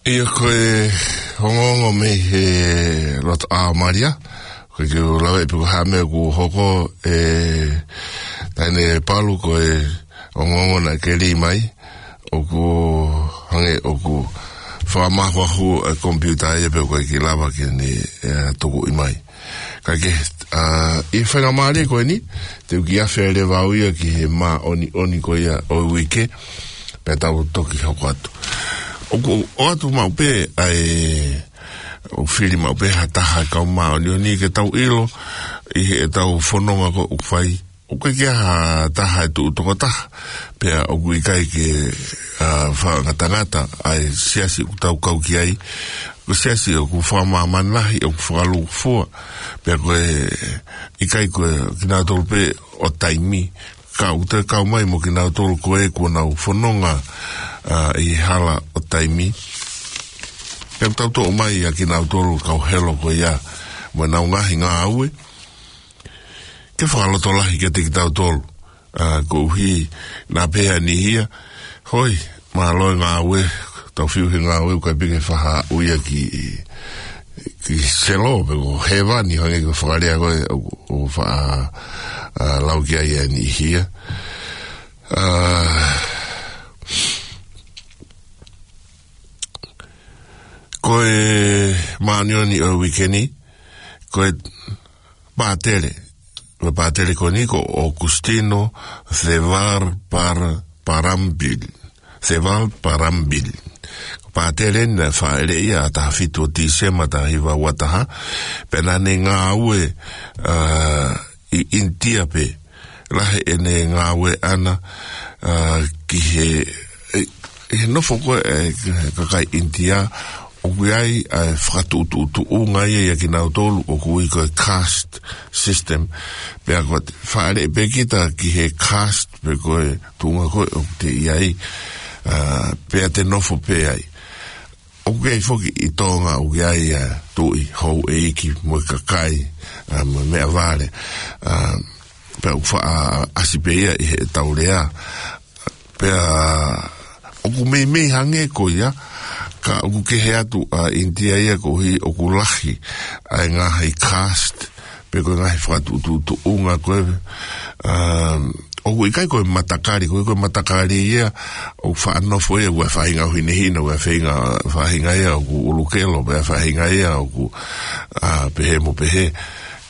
ʻIo, ko e ongoongo mei he lotoʻā ʻo Malia, ko e kiʻi lave pē ko e hā e meʻa ʻoku hoko, ʻe taʻane Palu, ko e ongoongo naʻe keli mai, ʻoku hangē ʻoku fakamāhuahu e komipiuta ia pea ʻoku ʻikai ke lava ke ne, ʻe, tukuʻi mai. Kae kehe, ʻa, ʻi he faingamālie ko eni, te u kiʻi afe leva au ia ki he māʻoniʻoni ko ia ʻo e uike, pea tau toki hoko atu. ʻOku, ʻoatu maʻu pē, ʻa e, ʻoku fili maʻu pē ha taha kau māʻoniʻoni ke tau ʻilo, ʻi heʻetau fononga ko ē ʻoku fai, ʻoku ʻikai ke ʻi ai ha taha ʻe tuʻu toko taha, pea ʻoku ʻikai ke, ʻa, fakangatangata ʻa e siasi ʻoku tau kau ki ai, ko e siasi ʻoku fakamāmani lahi, ʻoku fakalūkufua, pea ko e ʻikai ko kinautolu pē ʻo taimi, ka ʻoku toe kau mai mo kinautolu ko ē kuo nau fononga, ʻa, ʻi he hala ʻo taimi. Pea ʻoku tau toʻo mai ʻa kinautolu kau helo ko ia, mo ʻenau ngaahi ngāue, ke fakalotolahi kiate kitautolu. ʻA, koeʻuhi, naʻa pehē ʻe Niʻihia, hoi, mālō e ngāue, tau fiu he ngāue, ʻoku ʻikai pē ke faʻa ui ia ki, ki selo, pe ko hēvani, hangē ko e fakalea ko ē, ʻo, ʻo faʻa, ʻa, lau ki ai ʻe Niʻihia. ʻA, ko e māʻoniʻoni ʻo e uike ni, ko e pātele. Ko e pātele ko eni ko Augustino Ceval Par-, Parambil. Ceval Parambil. Ko e pātele naʻe fāʻeleʻi ʻi he taha fitu ʻo Tīsema taha hiva ua taha. Pea naʻa ne ngāue, ʻa, ʻi ʻInitia pē. Lahi ʻene ngāue ʻana, ʻa, ki he, ʻe, he nofo ko ē, ʻe, kakai ʻInitia, ʻoku ʻi ai, ʻa, fakatuʻutuʻutuʻunga ia ʻia kinautolu, ʻoku ui ko e caste system. Pea ko e fāʻeleʻi pē kita ki he caste, pe ko e tuʻunga ko ē ʻoku te ʻi ai, ʻa, pea te nofo pē ai. ʻOku ʻi ai foki ʻi Tonga, ʻoku ʻi ai, ʻa, tuʻi, houʻeiki, mo e kakai, ʻa, mo e meʻavale, ʻa, pea ʻoku faʻa ʻasi pē ia ʻi heʻetau lea. Pea ʻoku meimei hangē ko ia, ka ʻoku kehe atu ʻa ʻInitia ia koeʻuhi ʻoku lahi ʻa e ngaahi caste, pe ko e ngaahi fakatuʻutuʻutuʻunga ko ē, um, ʻoku ʻikai ko e matakali, ko e, ko e matakali ia, ʻoku faʻa nofo ia, ʻoku ʻi ai e faʻahinga ʻoku hinehina, ʻoku ʻi ai e faʻahinga, faʻahinga ia ʻoku ʻulukelo, pe faʻahinga ia ʻoku, ʻa, pehē mo pehē.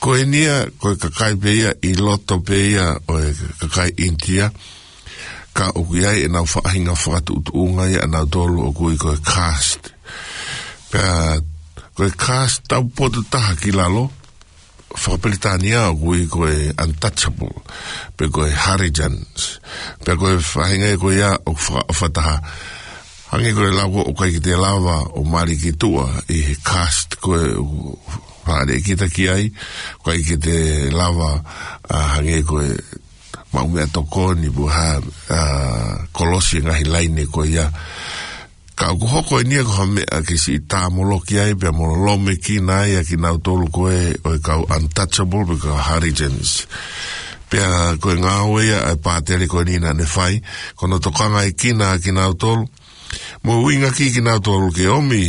Ko eni ia, ko e kakai pē ia, ʻi loto pē ia ʻo e kakai ʻInitia, ka ʻoku ʻi ai ʻenau faʻahinga fakatuʻutuʻunga ia ʻanautolu ʻoku ui ko e caste. Pea, ko e caste taupotu taha ki lalo, faka-Pilitānia ʻoku ui ko e untouchable, pe ko e Harijans. Pea ko e faʻahinga ia ko ia ʻoku fakaʻofa taha. Hangē ko e lau ko ē ʻoku ʻikai ke te lava ʻo mali ki tuʻa ʻi he caste ko ē ʻoku fāʻeleʻi kita ki ai, ʻoku ʻikai ke te lava, ʻa, hangē ko e maʻu meʻatokoni pe ha, ʻa, kolosi e ngaahi laine ko ia. Ka ʻoku hoko eni ia ko ha meʻa ke siʻi tāmoloki ai, pea mo lomekina ai ʻa kinautolu ko ē ʻo e kau untouchable pe ko e kau Harijans. Pea ko e ngāue ia ʻa e pātele ko eni naʻa ne fai, ko hono tokangaekina ʻa kinautolu, mo uinga ki kinautolu ke ʻomi,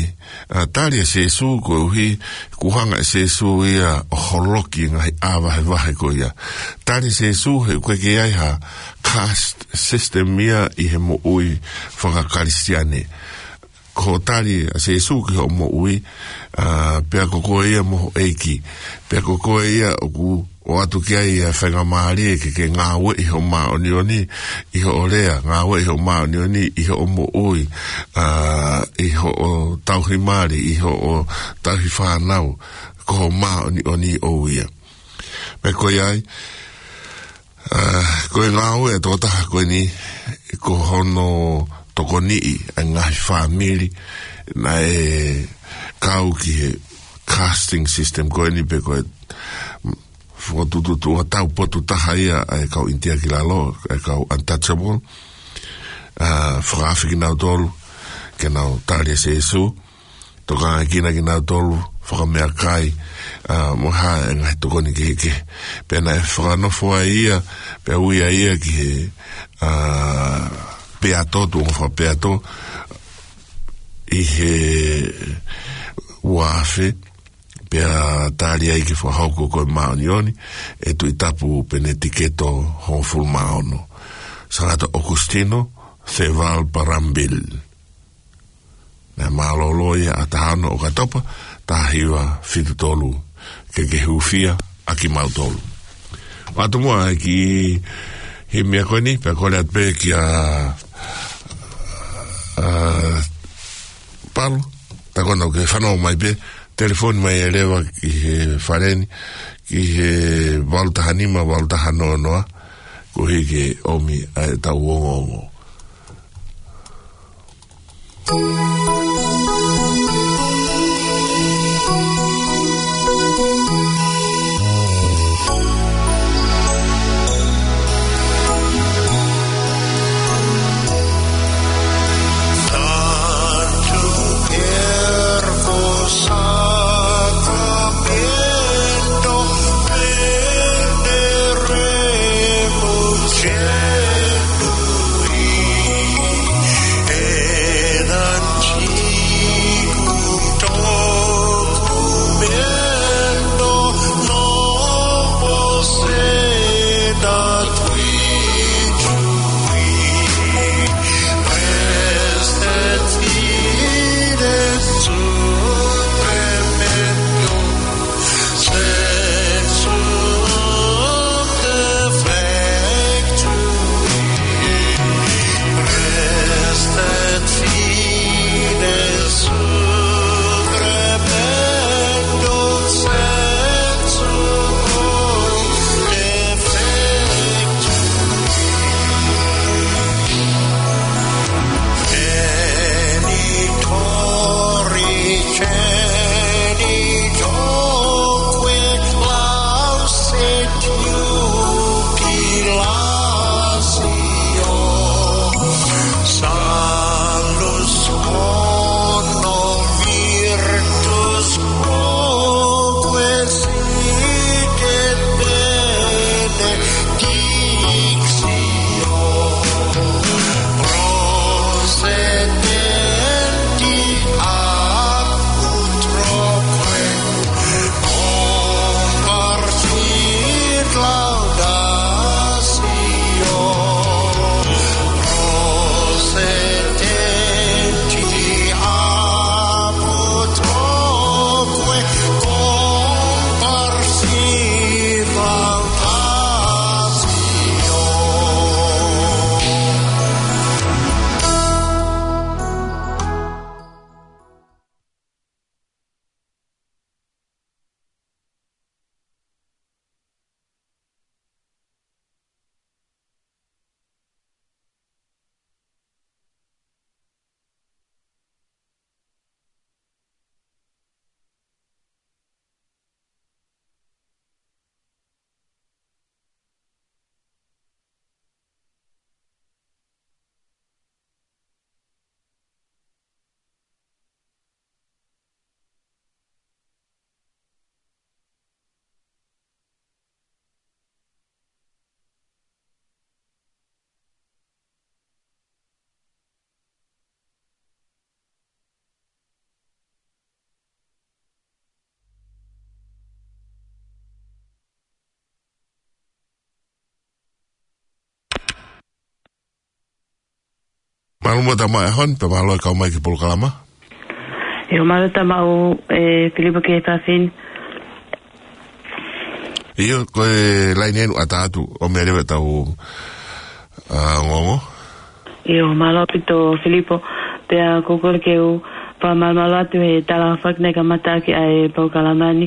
ʻa, tali ʻa Sēsū koeʻuhi, kuo hanga ʻe Sēsū ia ʻo holoki e ngaahi ʻā vahevahe ko ia. Tali ʻa Sēsū he ʻoku ʻikai ke ʻi ai ha caste system ia ʻi he moʻui faka-Kalisitiane. Ko hoʻo tali ʻa Sēsū ki hoʻo moʻui, ʻa, pea ko koe ia mo ho ʻeiki. Pea ko koe ia ʻoku ʻoatu ki ai ʻa e faingamālie ke, ke ngāueʻi hoʻo māʻoniʻoni ʻi hoʻo lea, ngāueʻi hoʻo māʻoniʻoni ʻi hoʻo moʻui, ʻa, ʻi hoʻo tauhi mali, ʻi hoʻo tauhi fānau, ko hoʻo māʻoniʻoni ʻoʻou ia. Pea ko ia ai, ʻa, ko e ngāue ʻa e tokotaha ko eni, ko hono tokoniʻi ʻa e ngaahi fāmili naʻe kau ki he casting system ko eni pe ko e fakatuʻutuʻu taupotu taha ia ʻa e kau ʻInitia ki lalo, ʻa e kau untouchable, ʻa, fakaafe kinautolu ke nau tali ʻa Sēsū, tokangaekina kinautolu, fakameʻakai, ʻa, mo ha ngaahi tokoni kehekehe. Pea naʻe fakanofo ai ia, pea ui ai ia ki he, ʻa, peato, tuʻunga fakapeato, ʻi he ua afe, pea tali ai ke fakahoko ko e māʻoniʻoni ʻe Tuʻi Tapu Penetiketo hongofulu mā ono. Sangata Augustino Ceval Parambil. Naʻe mālōlō ia ʻa taha ono ʻOkatopa, taha hiva fitu tolu, ke ke hūfia ʻa kimautolu. ʻOatu muʻa e kiʻi himi ko eni, pea kole atu pē kia, ʻa, Palu, tā ko ena ke fanongo mai pē, telefoni mai ʻe leva ki he fale ni, ki he valu taha nima, valu taha noa noa, koeʻuhi ke ʻomi ʻa e tau ongoongo. Mālō muʻa Tama e hon, pea mālō e kau mai ki he polokalama. ʻIo, mālō Tama ʻo, ē, Filipo ki he efiafi ni. ʻIo, ko e laine ʻeni ʻoku ʻatā atu, ʻo meʻa leva ʻetau, ā, ongoongo. ʻIo, mālō ʻaupito Filipo, pea ʻoku ou kole ke u fakamālō atu he tala fakana e kamata ʻaki ʻa e polokalama ni,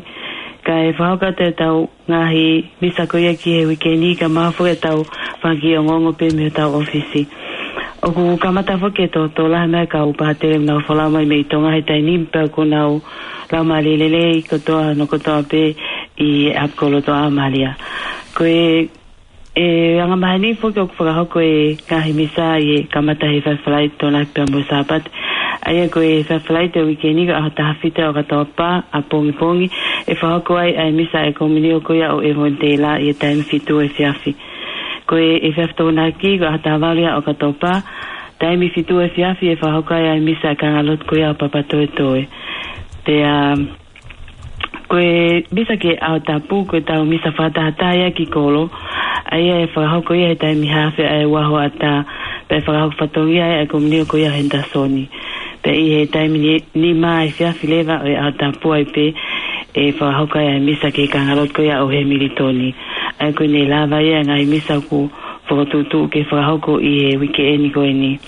kae fakahoko atu ʻetau ngaahi misa ko ia ki he uike ni kae ʻumaʻā foki ʻetau fanga kiʻi ongoongo pē mei hotau ʻōfisi. ʻOku kamata foki e tōtōlahi mai e kau pātele ʻoku nau folau mai mei Tonga he taimi ni pea ʻoku nau laumālie lelei kotoa hono kotoa pē ʻi he ʻapi ko Lotoʻā ʻo Malia. Ko e, e angamaheni foki ʻoku fakahoko e ngaahi misa ʻi he kamata he efiafi Falaite, Tokonaki pea mo e Sāpate. ʻA ia ko e efiafi Falaite ʻo e uike ni ko e ʻaho taha fitu ʻo ʻOkatopa, ʻapongipongi, ʻe fakahoko ai ʻa e misa ʻa e komiunio ko ia ʻo e Evanitēlā ʻi he taimi fitu efiafi. Ko e efiafi Tokonaki ko e ʻaho taha valu ia ʻo ʻOkatopa, taimi fitu efiafi ʻe fakahoko ai ʻa e misa ʻa e kāingalotu ko ia ʻo Papatoetoe. Pea ko e misa ki he ʻaho tapu, ko ʻetau misa fakatahataha ia ki kolo, ʻa ia ʻe fakahoko ia he taimi haafe ʻa e ua hoʻatā, pea ʻe fakahoko fatongia ai ʻa e komiunio ko ia ʻo Henderson. Pea ʻi he taimi ni, nima efiafi leva ʻo e ʻaho tapu ai pē, ʻe fakahoko ai ʻa e misa ki he kāingalotu ko ia ʻo Hamilton. ʻA ia ko ʻene lava ia e ngaahi misa ʻoku fokotuʻutuʻu ke fakahoko ʻi he uike ʻeni ko ʻeni.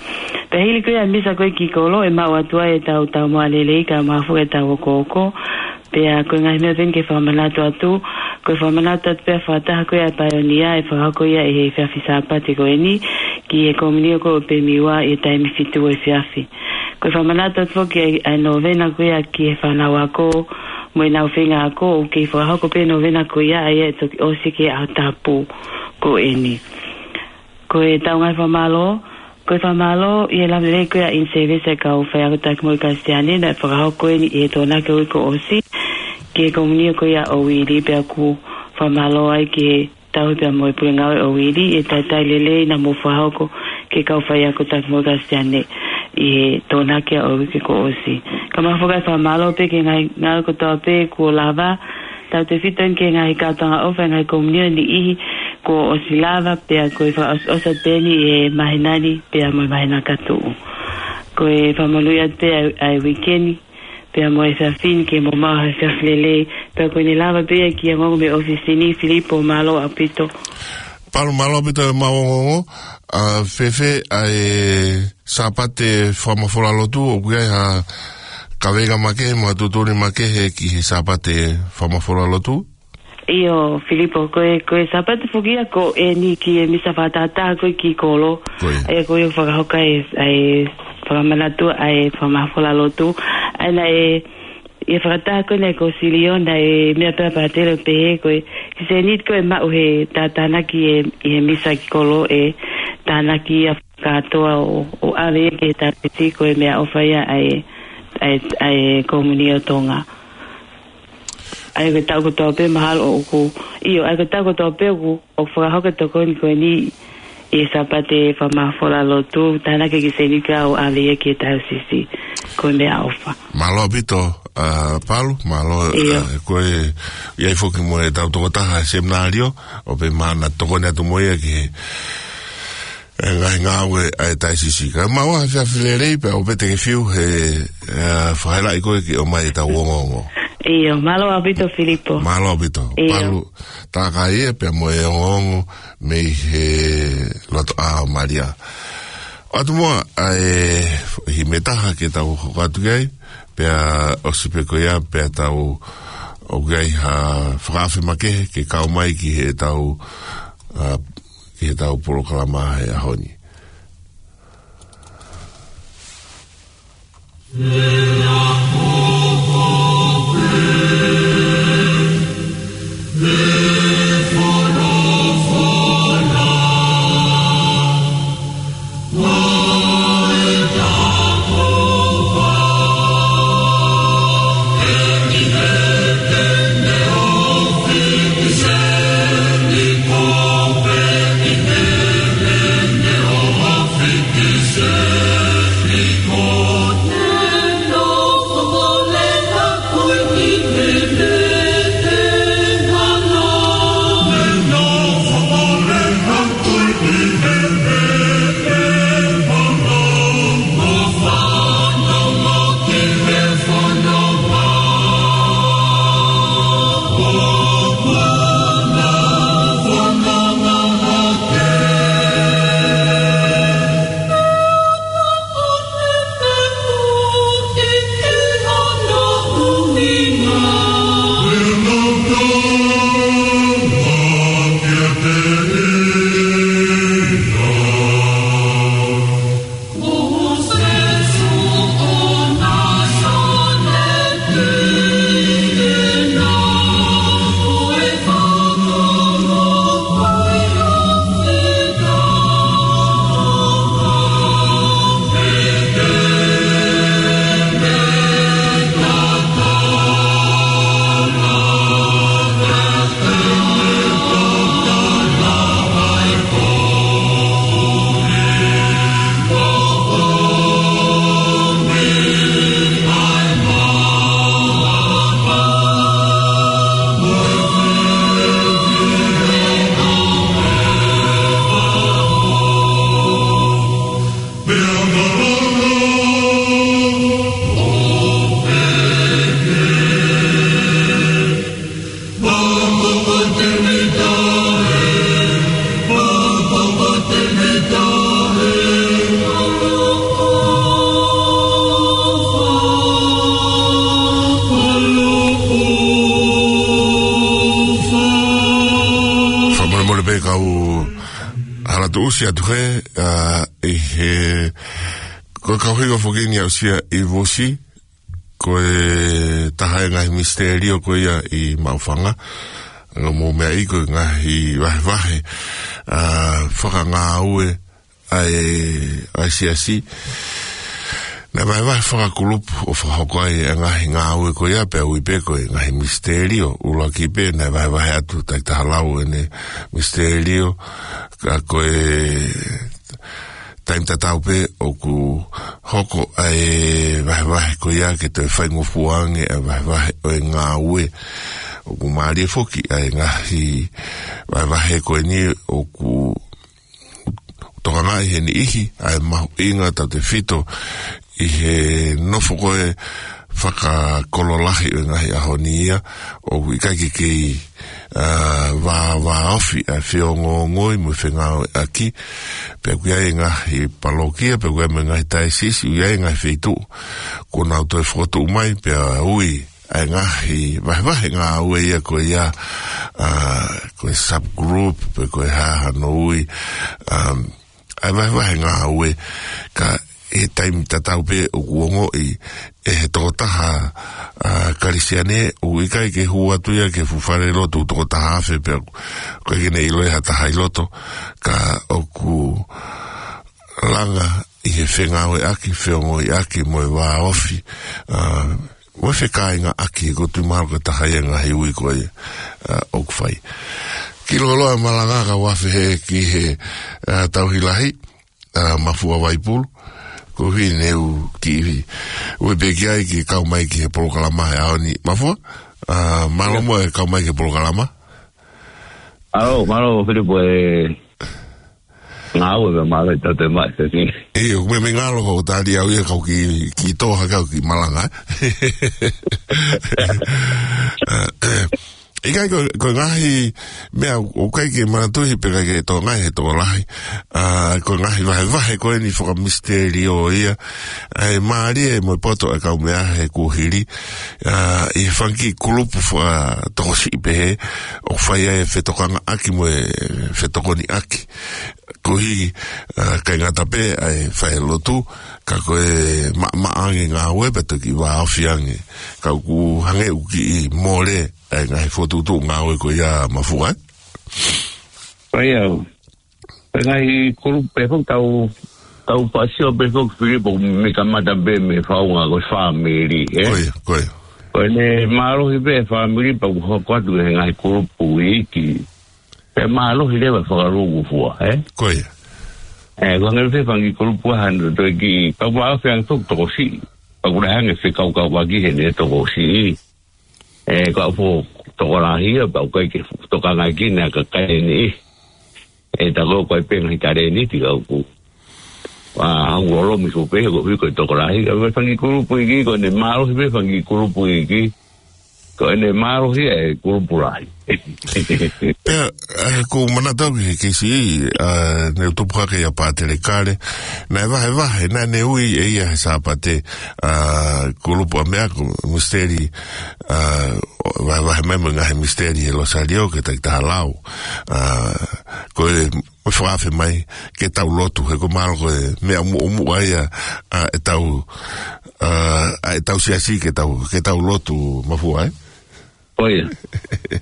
Pea hili ko ia e misa ko ē ki kolo, ʻe maʻu atu ai ʻetau taumuʻa lelei kae ʻumaʻā foki ʻetau okooko. Pea ko e ngaahi meʻa pē ʻeni ke fakamanatu atu, ko e fakamanatu atu pē ʻa e fakataha ko ia ʻa e paionia ʻe fakahoko ia ʻi he efiafi Sāpate ko ʻeni ki he komiunio ko ē ʻo e Pemiua ʻi he taimi fitu efiafi. Ko e fakamanatu atu foki ʻa e, ʻa e nōvena ko ia ki he fānau ako mo ʻenau feinga ako, ʻoku kei fakahoko pē e nōvena ko ia, ʻa ia ʻe toki ʻosi ki he ʻaho tapu ko ʻeni. Ko ʻetau ngaahi fakamālō, ko e fakamālō ʻi he lava lelei ko ia ʻa e in-service ʻa e kau faiako taki moʻui Kalisitiane naʻe fakahoko ʻeni ʻi he Tokonaki ʻo e uike kuo ʻosi ki he komiunio ko ia ʻo Uili, pea ʻoku fakamālō ai ki he tauhi pea mo e pule ngāue ʻo Uili ʻi he talitali lelei naʻa mou fakahoko ki he kau faiako taki moʻui Kalisitiane ʻi he Tokonaki ʻo e uike kuo ʻosi. Kae ʻumaʻā foki e fakamālō pē ki he ngaahi ngāue kotoa pē kuo lava, tautefito ʻeni ki he ngaahi kātoanga ʻofa ʻa e ngaahi komiunio ʻe niʻihi kuo ʻosi lava, pea ko e fakaʻosiʻosi pē ʻeni ʻi he māhina ni pea mo e māhina ka tuʻu. Ko e fakamonūʻia pē ʻa e, ʻa e uike ni pea mo e efiafi ni, ke mou maʻu ha efiafi lelei. Pea ko ʻene lava pē ia e kiʻi ongoongo mei he ʻōfisi ni, Filipo, mālō ʻaupito. Palu, mālō ʻaupito e maʻu ongoongo. ʻA, fēfē ʻa e Sāpate Fakamafola Lotu, ʻoku ʻi ai ha kaveinga makehe mo ha tuʻutuʻuni makehe ki he Sāpate Fakamafola Lotu? ʻIo, Filipo, ko e, ko e Sāpate foki ia ko ʻeni ki he misa fakatahataha ko ē ki kolo. Ko ia. ʻA ia ko ia ʻoku fakahoko ai ʻa e fakamanatu ʻa e Fakamafola Lotu. ʻA ia naʻe, ʻi he fakataha ko ē naʻe ko Siliona ʻe meʻa pē ʻa e pātele ʻo pehē ko e kiʻi sēniti ko ē ʻe maʻu he tātānaki ʻi he, ʻi he misa ki kolo ʻe tānaki ia kātoa ʻo, ʻo ʻave ia ki he taʻasisi ko e meʻaʻofa ia ʻa e, ʻa e, ʻa e Komiunio Tonga. ʻA ia ko e taʻu kotoa pē mahalo ʻoku, ʻio, ʻa ia ko e taʻu kotoa pē ʻoku, ʻoku fakahoko e tokoni ko ʻeni ʻi he Sāpate Fakamafola Lotu, tānaki e kiʻi sēniti ko ia ʻo ʻave ia ki he taʻasisi ko e meʻaʻofa. Mālō ʻaupito, ʻa, Palu, mālō, ʻIo. ʻa, ko e, ʻi ai foki mo ʻetau tokotaha seminalio, ʻo pehē naʻa tokoni atu mo ia ki he, e ngaahi ngāue ʻa e taʻasisi. Kae maʻu ha efiafi lelei pea ʻoua pē te ke fiu he, ʻa, fakahelaʻi koe ke ʻomai ʻetau ongoongo. ʻIo, mālō ʻaupito Filipo. Mālō ʻaupito. ʻIo. Palu Tākai ia pea mo e ongoongo mei he Lotoʻā ʻo Malia. ʻOatu muʻa ʻa e himi ʻe taha ke tau hoko atu ki ai, pea ʻosi pē ko ia, pea tau ʻoku ʻi ai ha fakaafe makehe ke kau mai ki heʻetau, ʻa, ki heʻetau polokalama he ʻaho ni. Kau hala tuʻusi atu he, ā, ʻi he, ko e kau hingoa foki eni ʻa Usia ʻi Vusi, ko e taha e ngaahi misiterio ko ia ʻi Maʻufanga. Ngaahi meʻa ʻi ko e ngaahi vahevahe, ā, fakangāue ʻa e, ʻa e siasi. Naʻe vahevahe fakakulupu ʻo fakahoko ai e ngaahi ngāue ko ia pea ui pē ko e ngaahi misiterio. ʻUluaki pē naʻe vahevahe atu, Takitaha Lau ʻene misiterio, ka ko e taimi tatau pē ʻoku hoko ʻa e vahevahe ko ia ke toe faingofua ange ʻa e vahevahe ʻo e ngāue. ʻOku mālie foki ʻa e ngaahi vahevahe ko eni ʻoku tokangaʻi he niʻihi ʻa e mahuʻinga tautefito ʻi he nofo ko e fakakololahi ʻo e ngaahi ʻaho ni ia, ʻoku ʻikai ke kei, ā, vā, vāofi ʻa e feongoongoi mo e fengāueʻaki, pea ʻoku ʻi ai e ngaahi palokia, pea ʻoku ʻi ai mo e ngaahi taisisi, ʻoku ʻi ai e ngaahi feituʻu kuo nau toe fokotuʻu mai, pea ui ʻa e ngaahi vahevahe ngāue ia ko ia, ā, ko e subgroup, pe ko e hā hano ui, um, ʻa e vahevahe ngāue, ka ʻi he taimi tatau pē ʻoku ongoʻi ʻe he tokotaha, ā, Kalisiane, ʻoku ʻikai ke hū atu ia ki he fuʻu falelotu ʻoku toko taha afe pea ʻoku ʻikai ke ne ʻilo ʻe ha taha ʻi loto, ka ʻoku langa ʻi he fengāueʻaki, feongoʻiʻaki, mo e vāofi, ā, mo e fekāingaʻaki, ʻoku ou tui mahalo ko e taha ia e ngaahi ui ko ia, ā, ʻoku fai. Kiʻi loloa malanga ka ʻoku afe hē ki he, ā, tauhi lahi, ā, Mafua Vaipulu. Ko e ʻuhi ne u kiʻi ui pē ki ai ke kau mai ki he polokalama he ʻaho ni. Mafua, ā, mālō muʻa e kau mai ki he polokalama. Mālō, mālō, Filipo, e ngāue pē mālō ʻi tautolu e maʻa, te tini. ʻIo, meimei ngalo ko e tali au ia kau kiʻi, kiʻi tō hake au kiʻi malanga, ē? ʻIkai ko, ko e ngaahi meʻa ʻoku ʻikai ke manatuhi pe ʻikai ke tokangaʻi he tokolahi. Ā, ko e ngaahi vahevahe ko eni fakamisiterio ia. ʻA e mālie mo e poto ʻa e kau meʻa he kuohili. Ā, ʻi he fanga kiʻi kulupu fakatokosiʻi pehē, ʻoku fai ai e fetokangaʻaki mo e fetokoniʻaki. Koeʻuhi, ā, ʻikai ngata pē ʻa e falelotu, ka ko e maʻamaʻa ange ngāue pea toki vāofi ange. Ka ʻoku hangē ʻoku kiʻi mole ʻa e ngaahi fokotuʻutuʻu ngāue ko ia, Mafua, ē? Ko ia. Ko e ngaahi kulupu pē foki tau, tau faʻa sio pē foki, Filipo, mei he kamata pē mei he faʻunga ko e fāmili, ē? Ko ia, ko ia. Ko ʻene mālohi pē e fāmili pea ʻoku hoko atu he ngaahi kulupu iiki. Pea mālohi leva e fakalūkufua, ē? Ko ia. Ē, ko e hangē pē fanga kiʻi kulupu ʻa hano toe kiʻi, pea ʻoku vāofi ange foki tokosiʻi. Pea ʻoku lahi ange e fekauʻaki heʻene tokosiʻi. Ē, ka ʻoku fuʻu tokolahi ia, pea ʻoku ʻikai ke tokangaʻi ki ai e kakai ni. Ē, tā ko e ʻikai pē ngaahi talēniti ka ʻoku, ā, hangē ʻoku lomi sō pē, ko e ʻuhi ko e tokolahi, ka ko e fanga kiʻi kulupu iiki, ko ʻene mālohi pē fanga kiʻi kulupu iiki, ko ʻene mālohi e kulupu lahi. Pea, ē, ʻoku ou manatu au ki he keisi, ā, ne u tupu hake ʻia Pātele Kale, naʻe vahevahe, naʻa ne ui ʻe ia he Sāpate, ā, kulupu ʻa meʻa ko e misiteli, ā, vahevahe mai mo e ngaahi misiteli he Losalio ki he Takitaha Lau. Ā, ko e, mo e fakaafe mai ke tau lotu, he ʻoku mahalo ko e meʻa muʻomuʻa ia, ā, ʻetau, ā, ʻa ʻetau siasi ke tau, ke tau lotu, Mafua, ē? Ko ia.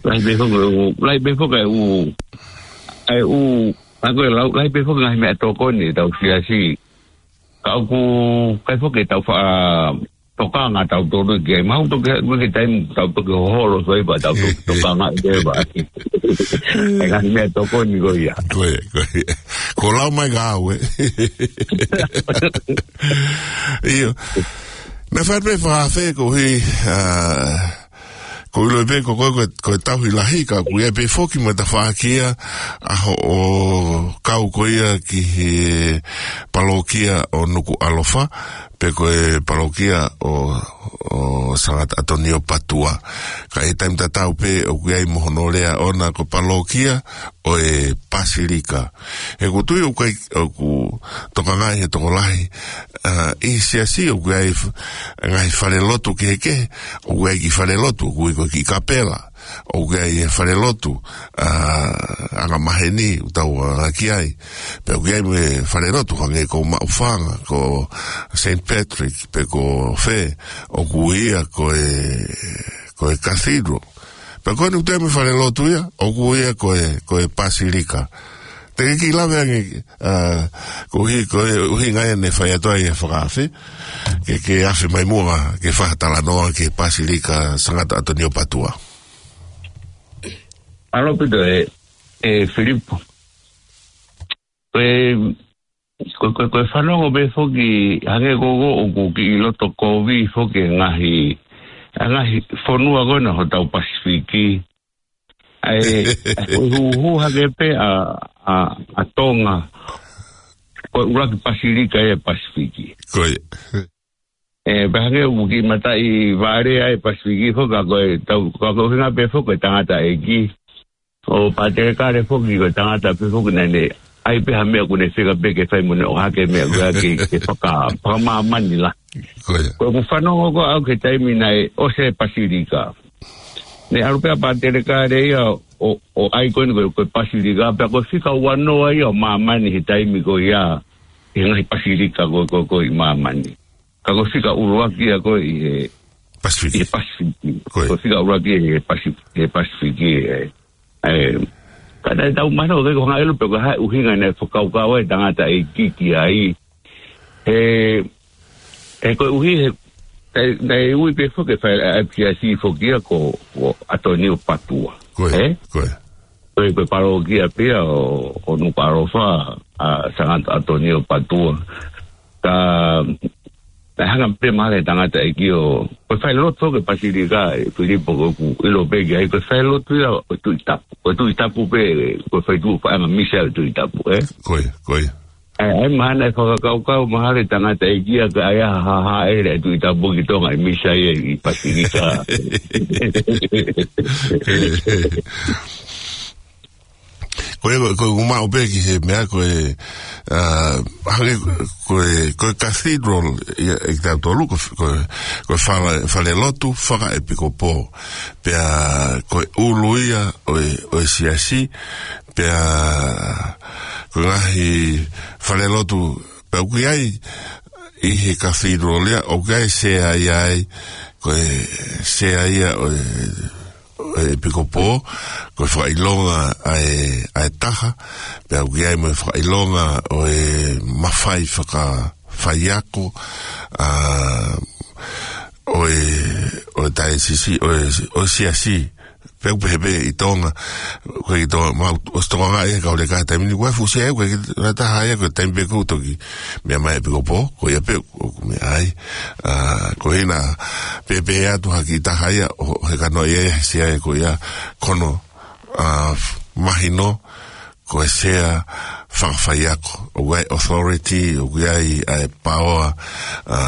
Lahi pē foki e ʻū, lahi pē foki e ʻū, e ʻū, ʻa ko e lau, lahi pē foki e ngaahi meʻatokoni ʻetau siasi. Ka ʻoku ʻikai foki ke tau faʻa tokanga tautolu ki ai. Mahalo toki, ko e taimi tau toki hoholo soi pea tau toki tokanga ʻi he vā. E ngaahi meʻatokoni ko ia. Ko ia, ko ia. Ko e lau mai ka au, ē. ʻIo. Naʻe fai pē fakaafe koeʻuhi, ā, ʻoku ou ʻilo pē ko koe ko e, ko e tauhi lahi ka ʻoku ʻi ai pē foki mo e tafaʻaki ia ʻa hoʻo kau ko ia ki he palokia ʻo Nukuʻalofa, pe ko e palokia ʻo, ʻo Sangata ʻAtonio Patua. Ka ʻi he taimi tatau pē ʻoku ʻi ai mo hono lea ʻoʻona ko e palokia ʻo e Pasilika. He ʻoku ou tui ʻoku ʻikai, ʻoku tokangaʻi he tokolahi, ā, ʻi he siasi ʻoku ʻi ai f-, ngaahi falelotu kehekehe, ʻoku ʻi ai e kiʻi falelotu, ʻoku ui ko e kiʻi kapela. ʻoku ʻi ai e falelotu, ʻa, angamaheni, ʻoku tau anga ki ai. Pea ʻoku ʻi ai mo e falelotu, hangē ko Maʻufanga, ko Saint Patrick, pe ko fē, ʻoku ui ia ko e, ko e cathedral. Pea ko eni ʻoku ʻi ai mo e falelotu ia, ʻoku ui ia ko e, ko e pasilika. Te ke kiʻi lave ange, ʻa, koeʻuhi, ko e ʻuhinga ia ne fai atu ai e fakaafe, ke, ke afe mai muʻa, ke fakatalanoa ki he pasilika Sangata ʻAtonio Patua. ʻAlo ʻaupito ē, ē Filipo. Ko e, ko, ko, ko e fanongo pē foki hangē ko ē ʻoku kiʻi loto kovi foki e ngaahi, ʻa e ngaahi fonua ko ena hotau Pasifiki. ʻA e, ʻa e, ko e huhu hake pē ʻa, ʻa, ʻa Tonga. Ko e ʻuluaki pasilika ʻi he Pasifiki. Ko ia. ʻE, pea hangē ʻoku kiʻi mataʻi vale ʻa e Pasifiki foki, ka ko e tau, ka ko e ʻuhinga pē foki e tangataʻeiki. ʻO Pātelekale foki ko e tangata pē foki naʻa ne ʻai pē ha meʻa ʻoku ne fika pē ke fai mo ne ʻohake meʻa ko ia ke, ke faka, fakamāmani la. Ko ia. Ko ʻeku fanongo ko ē au ki he taimi naʻe ʻosi e pasilika. Ne ʻalu pē ʻa Pātelekale ia ʻo, ʻo ʻai ko eni ko e, ko e pasilika, pea ko e fika ua noa ia ʻo māmani he taimi ko ia, he ngaahi pasilika ko, ko, ko ē ʻi māmani. Ka ko e fika ʻuluaki ia ko ē ʻi he, Pasifiki. ʻI he Pasifiki. Ko ia. Ko e fika ʻuluaki ʻi he Pasi-, he Pasifiki, ē. Ē, ka naʻe tau mahino ʻoku ʻikai ko ha ngāue ʻilo pe ko e hā e ʻuhinga naʻe fakakaukau ai e tangataʻeiki ki ai. He, he koeʻuhi he, naʻe, naʻe ui pē foki e fai ʻa e ʻApiasi foki ia ko, ko ʻAtonio Patua. Ko ia, Ē? ko ia. Ko e, ko e palokia pē ia ʻo, ʻo Nukuʻalofa, ʻa Sangata ʻAtonio Patua. Ka, naʻe hanga pē mahalo e tangataʻeiki ʻo, ko e falelotu foki e pasilika ē Filipo ko ʻeku ʻilo pē ki ai, ko e falelotu ia ʻo e Tuʻi Tapu. Ko e Tuʻi Tapu pē, ko e feituʻu paʻanga misa ʻo e Tuʻi Tapu, ē? Ko ia, ko ia. ʻAi, ʻai mahalo naʻe fakakaukau mahalo e tangataʻeiki ia ka ʻai ha, ha, hāʻele e Tuʻi Tapu ki Tonga ʻi misa ia ʻi pasilika. Ko e, ko e, ʻoku maʻu pē ki he meʻa ko e, ʻa, hangē ko e, ko e cathedral ia ʻe kitautolu, ko, ko, ko e fale, falelotu fakaʻepikopō. Pea ko e ʻulu ia ʻo e, ʻo e siasi, pea ko e ngaahi falelotu, pea ʻoku ʻi ai ʻi he cathedral ia, ʻoku ʻi ai e sea ia ai, ko e sea ia ʻo e, ʻo e ʻepikopō, ko e fakaʻilonga ʻa e, ʻa e taha, pea ʻoku ʻi ai mo e fakaʻilonga ʻo e mafai fakafaiako, ʻa, ʻo e, ʻo e taesisi, ʻo e, ʻo e siasi, pea ʻoku pehē pē ʻi Tonga, ko e ʻi Tonga, ma, ʻosi Tonga ngā e kau leka taimi ni, ko e fuʻu sea, ko e ki, na taha ia, ko e taimi pē ko ē ʻoku toki meʻa mai e ʻepikopō, ko ia pē ʻoku meʻa ai, ʻa, ko ena, pehē pē atu ha kiʻi taha ia, ʻo, ʻo heka noa ia, he sea ia ko ia, ko hono, ʻa, mahino, ko e sea fakafaiako, ʻoku ʻi ai e authority, ʻoku ʻi ai ʻa e power, ʻa,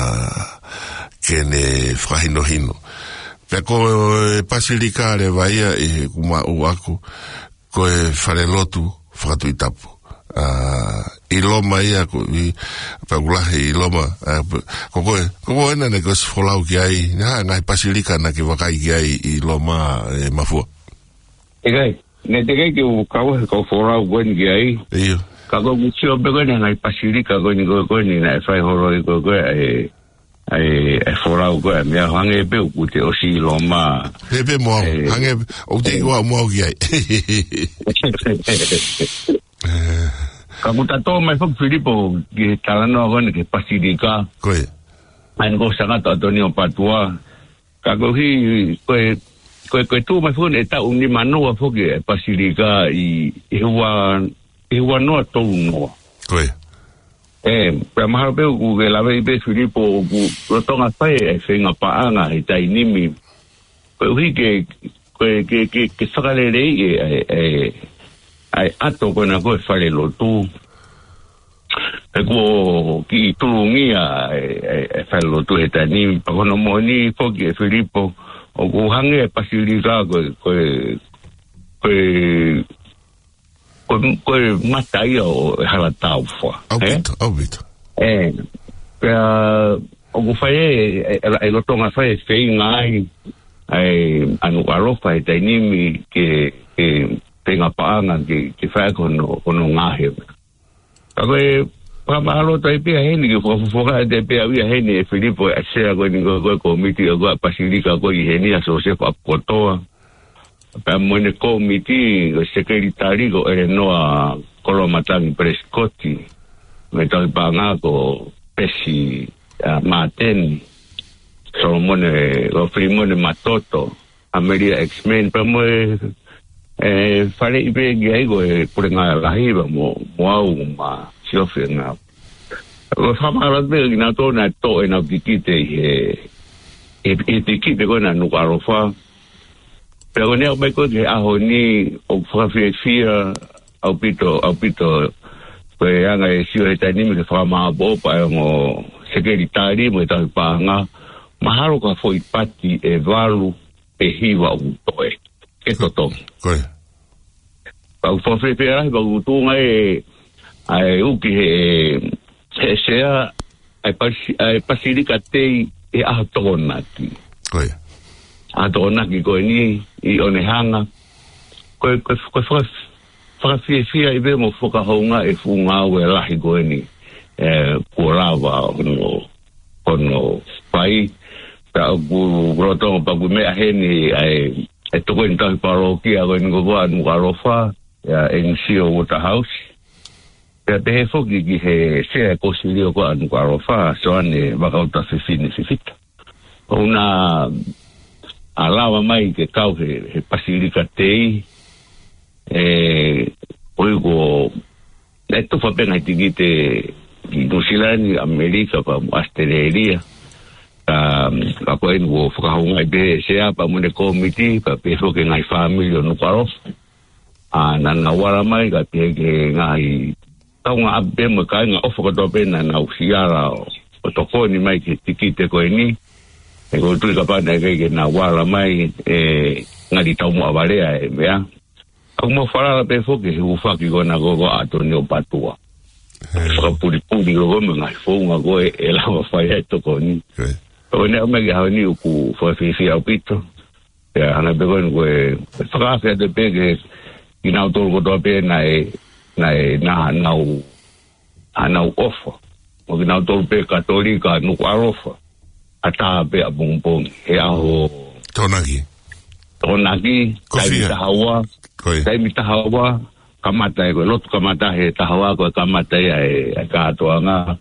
ke ne fakahinohino. Pea ko e pasilika leva ia ʻi heʻeku maʻu ʻaku, ko e falelotu fakatuʻi tapu. ʻA, ʻi Loma ia ko ē, pea ʻoku lahi ʻi Loma, ʻa, pe-, ko koe, ko koe naʻa ke ʻosi folau ki ai, naʻe ʻi ai e ngaahi pasilika naʻa ke vakai ki ai ʻi Loma, ē Mafua? ʻIkai, naʻe teʻeki ke u kau he kau folau ko eni ki ai. ʻIo. Ka ko ʻeku sio pē ko eni ngaahi pasilika ko eni ko, ko eni naʻe fai holo ʻi ko, ko e, ʻa e, ʻa e folau ko e meʻa hangē pē ʻoku te ʻosi ʻi Loma. Pehē pē mo au, ʻe, hangē, ʻoku te ʻe, ʻikai mo au ki ai. Ē. Ka ʻoku ta tō mai foki Filipo ki he talanoa ko eni ki he pasilika. Ko ia. ʻA eni ko Sangata ʻAtonio Patua. Ka koeʻuhi, ko e, ko e, ko e tuʻu mai foki ʻe taʻu nima noa foki e pasilika ʻi, ʻi he ua, ʻi he ua noa tolu noa. Ko ia. Ē, pea mahalo pē ʻoku ke laveʻi pē Filipo ʻoku lolotonga fai e feinga paʻanga he taimi ni. Koeʻuhi ke, ko e, ke, ke, ke fakaleleiʻi e, e, e, ʻa e ʻato ko ena ko e falelotu. He kuo kiʻi tulungia e, e, e falelotu he taimi ni, pea ko hono moʻoni foki ē Filipo, ʻoku hangē e pasilika ko e, ko e, ko e, ko e, ko e mata ia ʻo e hala taufa. ʻAupito, ē? ʻAupito. Ē, pea ʻoku fai e, e, e, e lolotonga fai e feinga ai, ʻa e ʻa Nukuʻalofa he taimi ni ke, ke feinga paʻanga ke, ke fai ko hono, hono ngaohi. Ka ko e fakamālō atu ai pē ia heni ke fakafofonga atu ai pē ia heni ʻe Filipo ʻa e sea ko eni ko e, ko e kōmiti ko e ʻa e Pasilika ko eni ʻa Siosefa ʻApipokotoa. Pea mo ʻene kōmiti ko e sekelitali ko ʻElenoa Koloamatangi Pelesikoti. Mo e tauhi paʻanga ko Pesi, ʻa, Māteni. Solomone, ko Filimone Matoto. ʻAmelia X-Men, pea mo e, e, faleʻi pē ki ai ko e pulenga lahi pea mo, mo au mo Siofi ngā. Ko e fakamālō pē kinautolu naʻe toʻo ʻenau tikite ʻi he, ʻi he, ʻi he tikite ko ena ʻa Nukuʻalofa. Pea ko ʻene aʻu mai ko ē ki he ʻaho ni ʻoku fakafiefia ʻaupito, ʻaupito. Ko e anga e sio he taimi ni ke fakamāʻopoʻopo ʻa e ongo sekelitali mo e tauhi paʻanga. Mahalo ko ha foʻi pati ʻe valu pe hiva ʻoku toe. Ke totongi. Ko ia. Pea ʻoku fakafiefia lahi, pea ʻoku tuʻunga e, ʻa e uki he, he sea, ʻa e pasi-, ʻa e Pasilika Tei he ʻaho Tokonaki. Ko ia. ʻAho Tokonaki ko eni ʻi ʻOnehunga. Ko e, ko e, ko e faka-, fakafiefia ai pē mo fakahoungaʻi e fuʻu ngāue lahi ko eni, e, kuo lava hono, hono fai. Pea ʻoku lolotonga pē ʻoku meʻa heni ʻa e, e tokoni tauhi palōkia ko eni ko ē ʻa Nukuʻalofa, ʻa e N C O Waterhouse. Pea pehē foki ki he sea e kosilio ko ē ʻa Nukuʻalofa, Soane Vakauta Fifine Fifita. ʻOku na lava mai ke kau he, he Pasilika Tei, e, ʻo ʻikai ko, naʻe tufa pē ngaahi tikite ki Nuʻusila ni, ʻAmelika, pea mo ʻAositelēlia. Ka, ka ko eni kuo fakahoungaʻi pē ʻe he sea pea mo ʻene kōmiti, pea pehē foki ki he ngaahi fāmili ʻo Nukuʻalofa. ʻA, naʻa nau ala mai, ka pehē ki he ngaahi kaungāʻapi pē mo e kāinga ʻofa kotoa pē naʻa nau siʻi ala ʻo, ʻo tokoni mai ki he tikite ko eni. He ʻoku ou tui kapau naʻe ʻikai ke nau ala mai, ʻe ngali taumuʻa vale ʻa e meʻa. ʻOku mau falala pē foki he hūfaki ko ena ko ē ʻa Tonio Patua. He. Fakapulipuli ko ē mo e ngaahi founga ko ē ʻe lava fai ai e tokoni. He. Ko ʻene aʻu mai ki he ʻaho ni ʻoku fakafiefia ʻaupito. Pea hanga pē ko eni ko e, ko e fakaafe atu pē ke, kinautolu kotoa pē naʻe, naʻe, naʻa nau, ʻa nau ʻofa. Mo kinautolu pē Katolika Nukuʻalofa. ʻAtā pē ʻapongipongi. He ʻaho Tokonaki. Tokonaki, Ko e taimi fiha? taha ua. Ko ia. Taimi taha ua, kamata ē, ko e lotu kamata he taha ua, ko e kamata ia e, e kātoanga.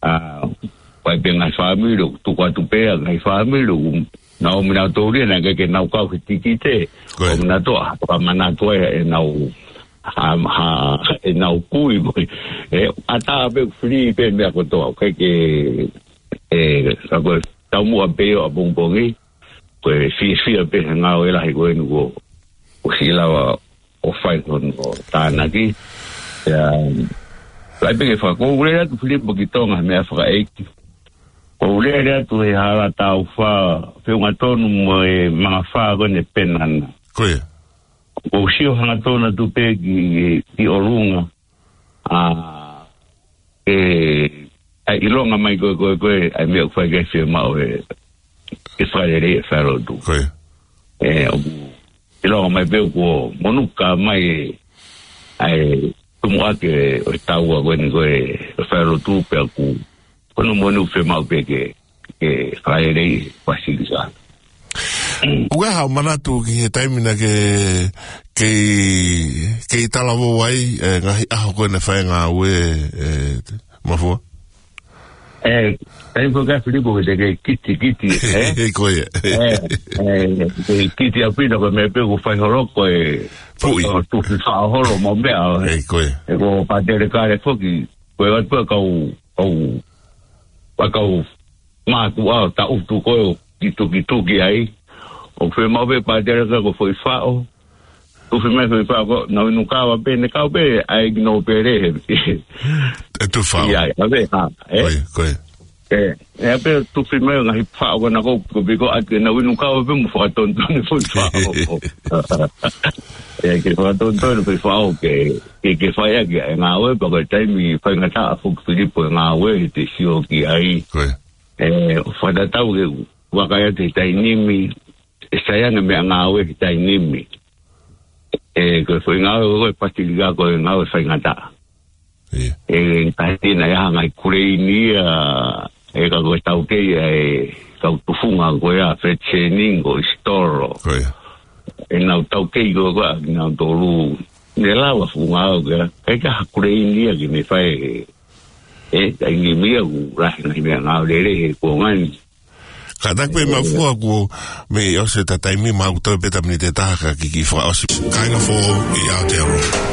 ʻA, ʻoku ʻi ai pē ngaahi fāmili ʻoku tuku atu pē, ngaahi fāmili ʻoku nau ō mai nautolu ia naʻe ʻikai ke nau kau he tikite. Ko ia. ʻOku nau toʻo, ʻa, fakamanatu ai ʻenau, ha, ha, ʻenau kui mo e, ʻatā pē, fili pē meʻa kotoa. ʻIkai ke, e, ka ko e taumuʻa pē ʻo ʻapongipongi, ko e fiefia pē he ngāue lahi ko eni kuo, kuo siʻi lava ʻo fai hono tānaki. Ia, ʻai pē ke fakaʻuliʻali atu Filipo ki Tonga he meʻa fakaʻeiki. ʻOku ou lele atu he hala taufa, feʻunga tonu mo e mangafā ko eni ʻe Penana. Ko ia. ʻOku ou sio hangatonu atu pē ki, ki ʻolunga. ʻA, e, ʻa e ʻilonga mai ko ē, ko ē, ko ē, ʻa e meʻa ʻoku fai ki ai e fiemaʻu e, e fakalelei e falelotu. Ko ia. E, ʻoku ʻilonga mai pē kuo monū ka mai e, ʻa e tumuʻaki ʻo e taua ko eni ko ē, e falelotu pea ʻoku, ko hono monū fiemaʻu pē ke, ke fakalelei e Pasilika. ʻOku ʻi ai haʻo manatu ki he taimi naʻa ke, kei, kei talavou ai, e, ngaahi ʻaho ko ē naʻe fai e ngāue, e, Mafua? E, taimi ko ē Filipo ke te ke kitekite, e? Ko ia. E, e, ke kite ʻaupito ko e meʻa pē ʻoku fai holo ko e, Puʻi. ʻo tufi faʻo holo mo e meʻa, e. E, ko ia. E ko Pātele Kale foki, ko e atu pē kau, kau, kau mātuʻa ʻo taʻutu ko ē ʻo kitukituki ai. ʻOku fiemaʻu pē Pātele Kale ko e foʻi faʻo. Tufi mai e foʻi faʻo ko ē, nau inu kava pē, ne kau pē, ʻai ki nōpele he. E tufi faʻo. Ia, ia, pē, ha, e? Ko ia, ko ia. E, e pē tufi mai ngaahi faʻo ko ena ko ē, ko e piko atu ke nau inu kava pē mo fakatonutonu e foʻi faʻo. E, ke fakatonutonu e foʻi faʻo ke, ke, ke fai ʻaki e ngāue, pea ko e taimi faingataʻa foki Filipo e ngāue, te sio ki ai. Ko ia. E, ʻo fakatatau ke vakai atu he taimi ni, ʻe sai ange meʻangāue ki taimi ni. ʻE, ko e foʻi ngāue ko e patilika ko e ngāue faingataʻa. Ia. ʻE, tahi naʻe ʻi ai ha ngaahi kuleini ia, ʻe ka ko e taukei ʻa e kau tufunga ko ia, Fred Sening ko Isitolo. Ko ia. ʻE nau taukei ko ia, nau tolu. Ne lau a funga au kia, ʻe ka ha kuleini ia ki me fai. ʻE, taimi ni ia ʻoku lahi ngaahi meʻangāue lelei he kuonga ni. Kātaki pē Mafua kuo mei ʻosi ʻeta taimi, mau toe pē ʻeta miniti ʻe taha ka kiʻi fakaʻosi. Kāinga Foʻou ʻi Aotearoa.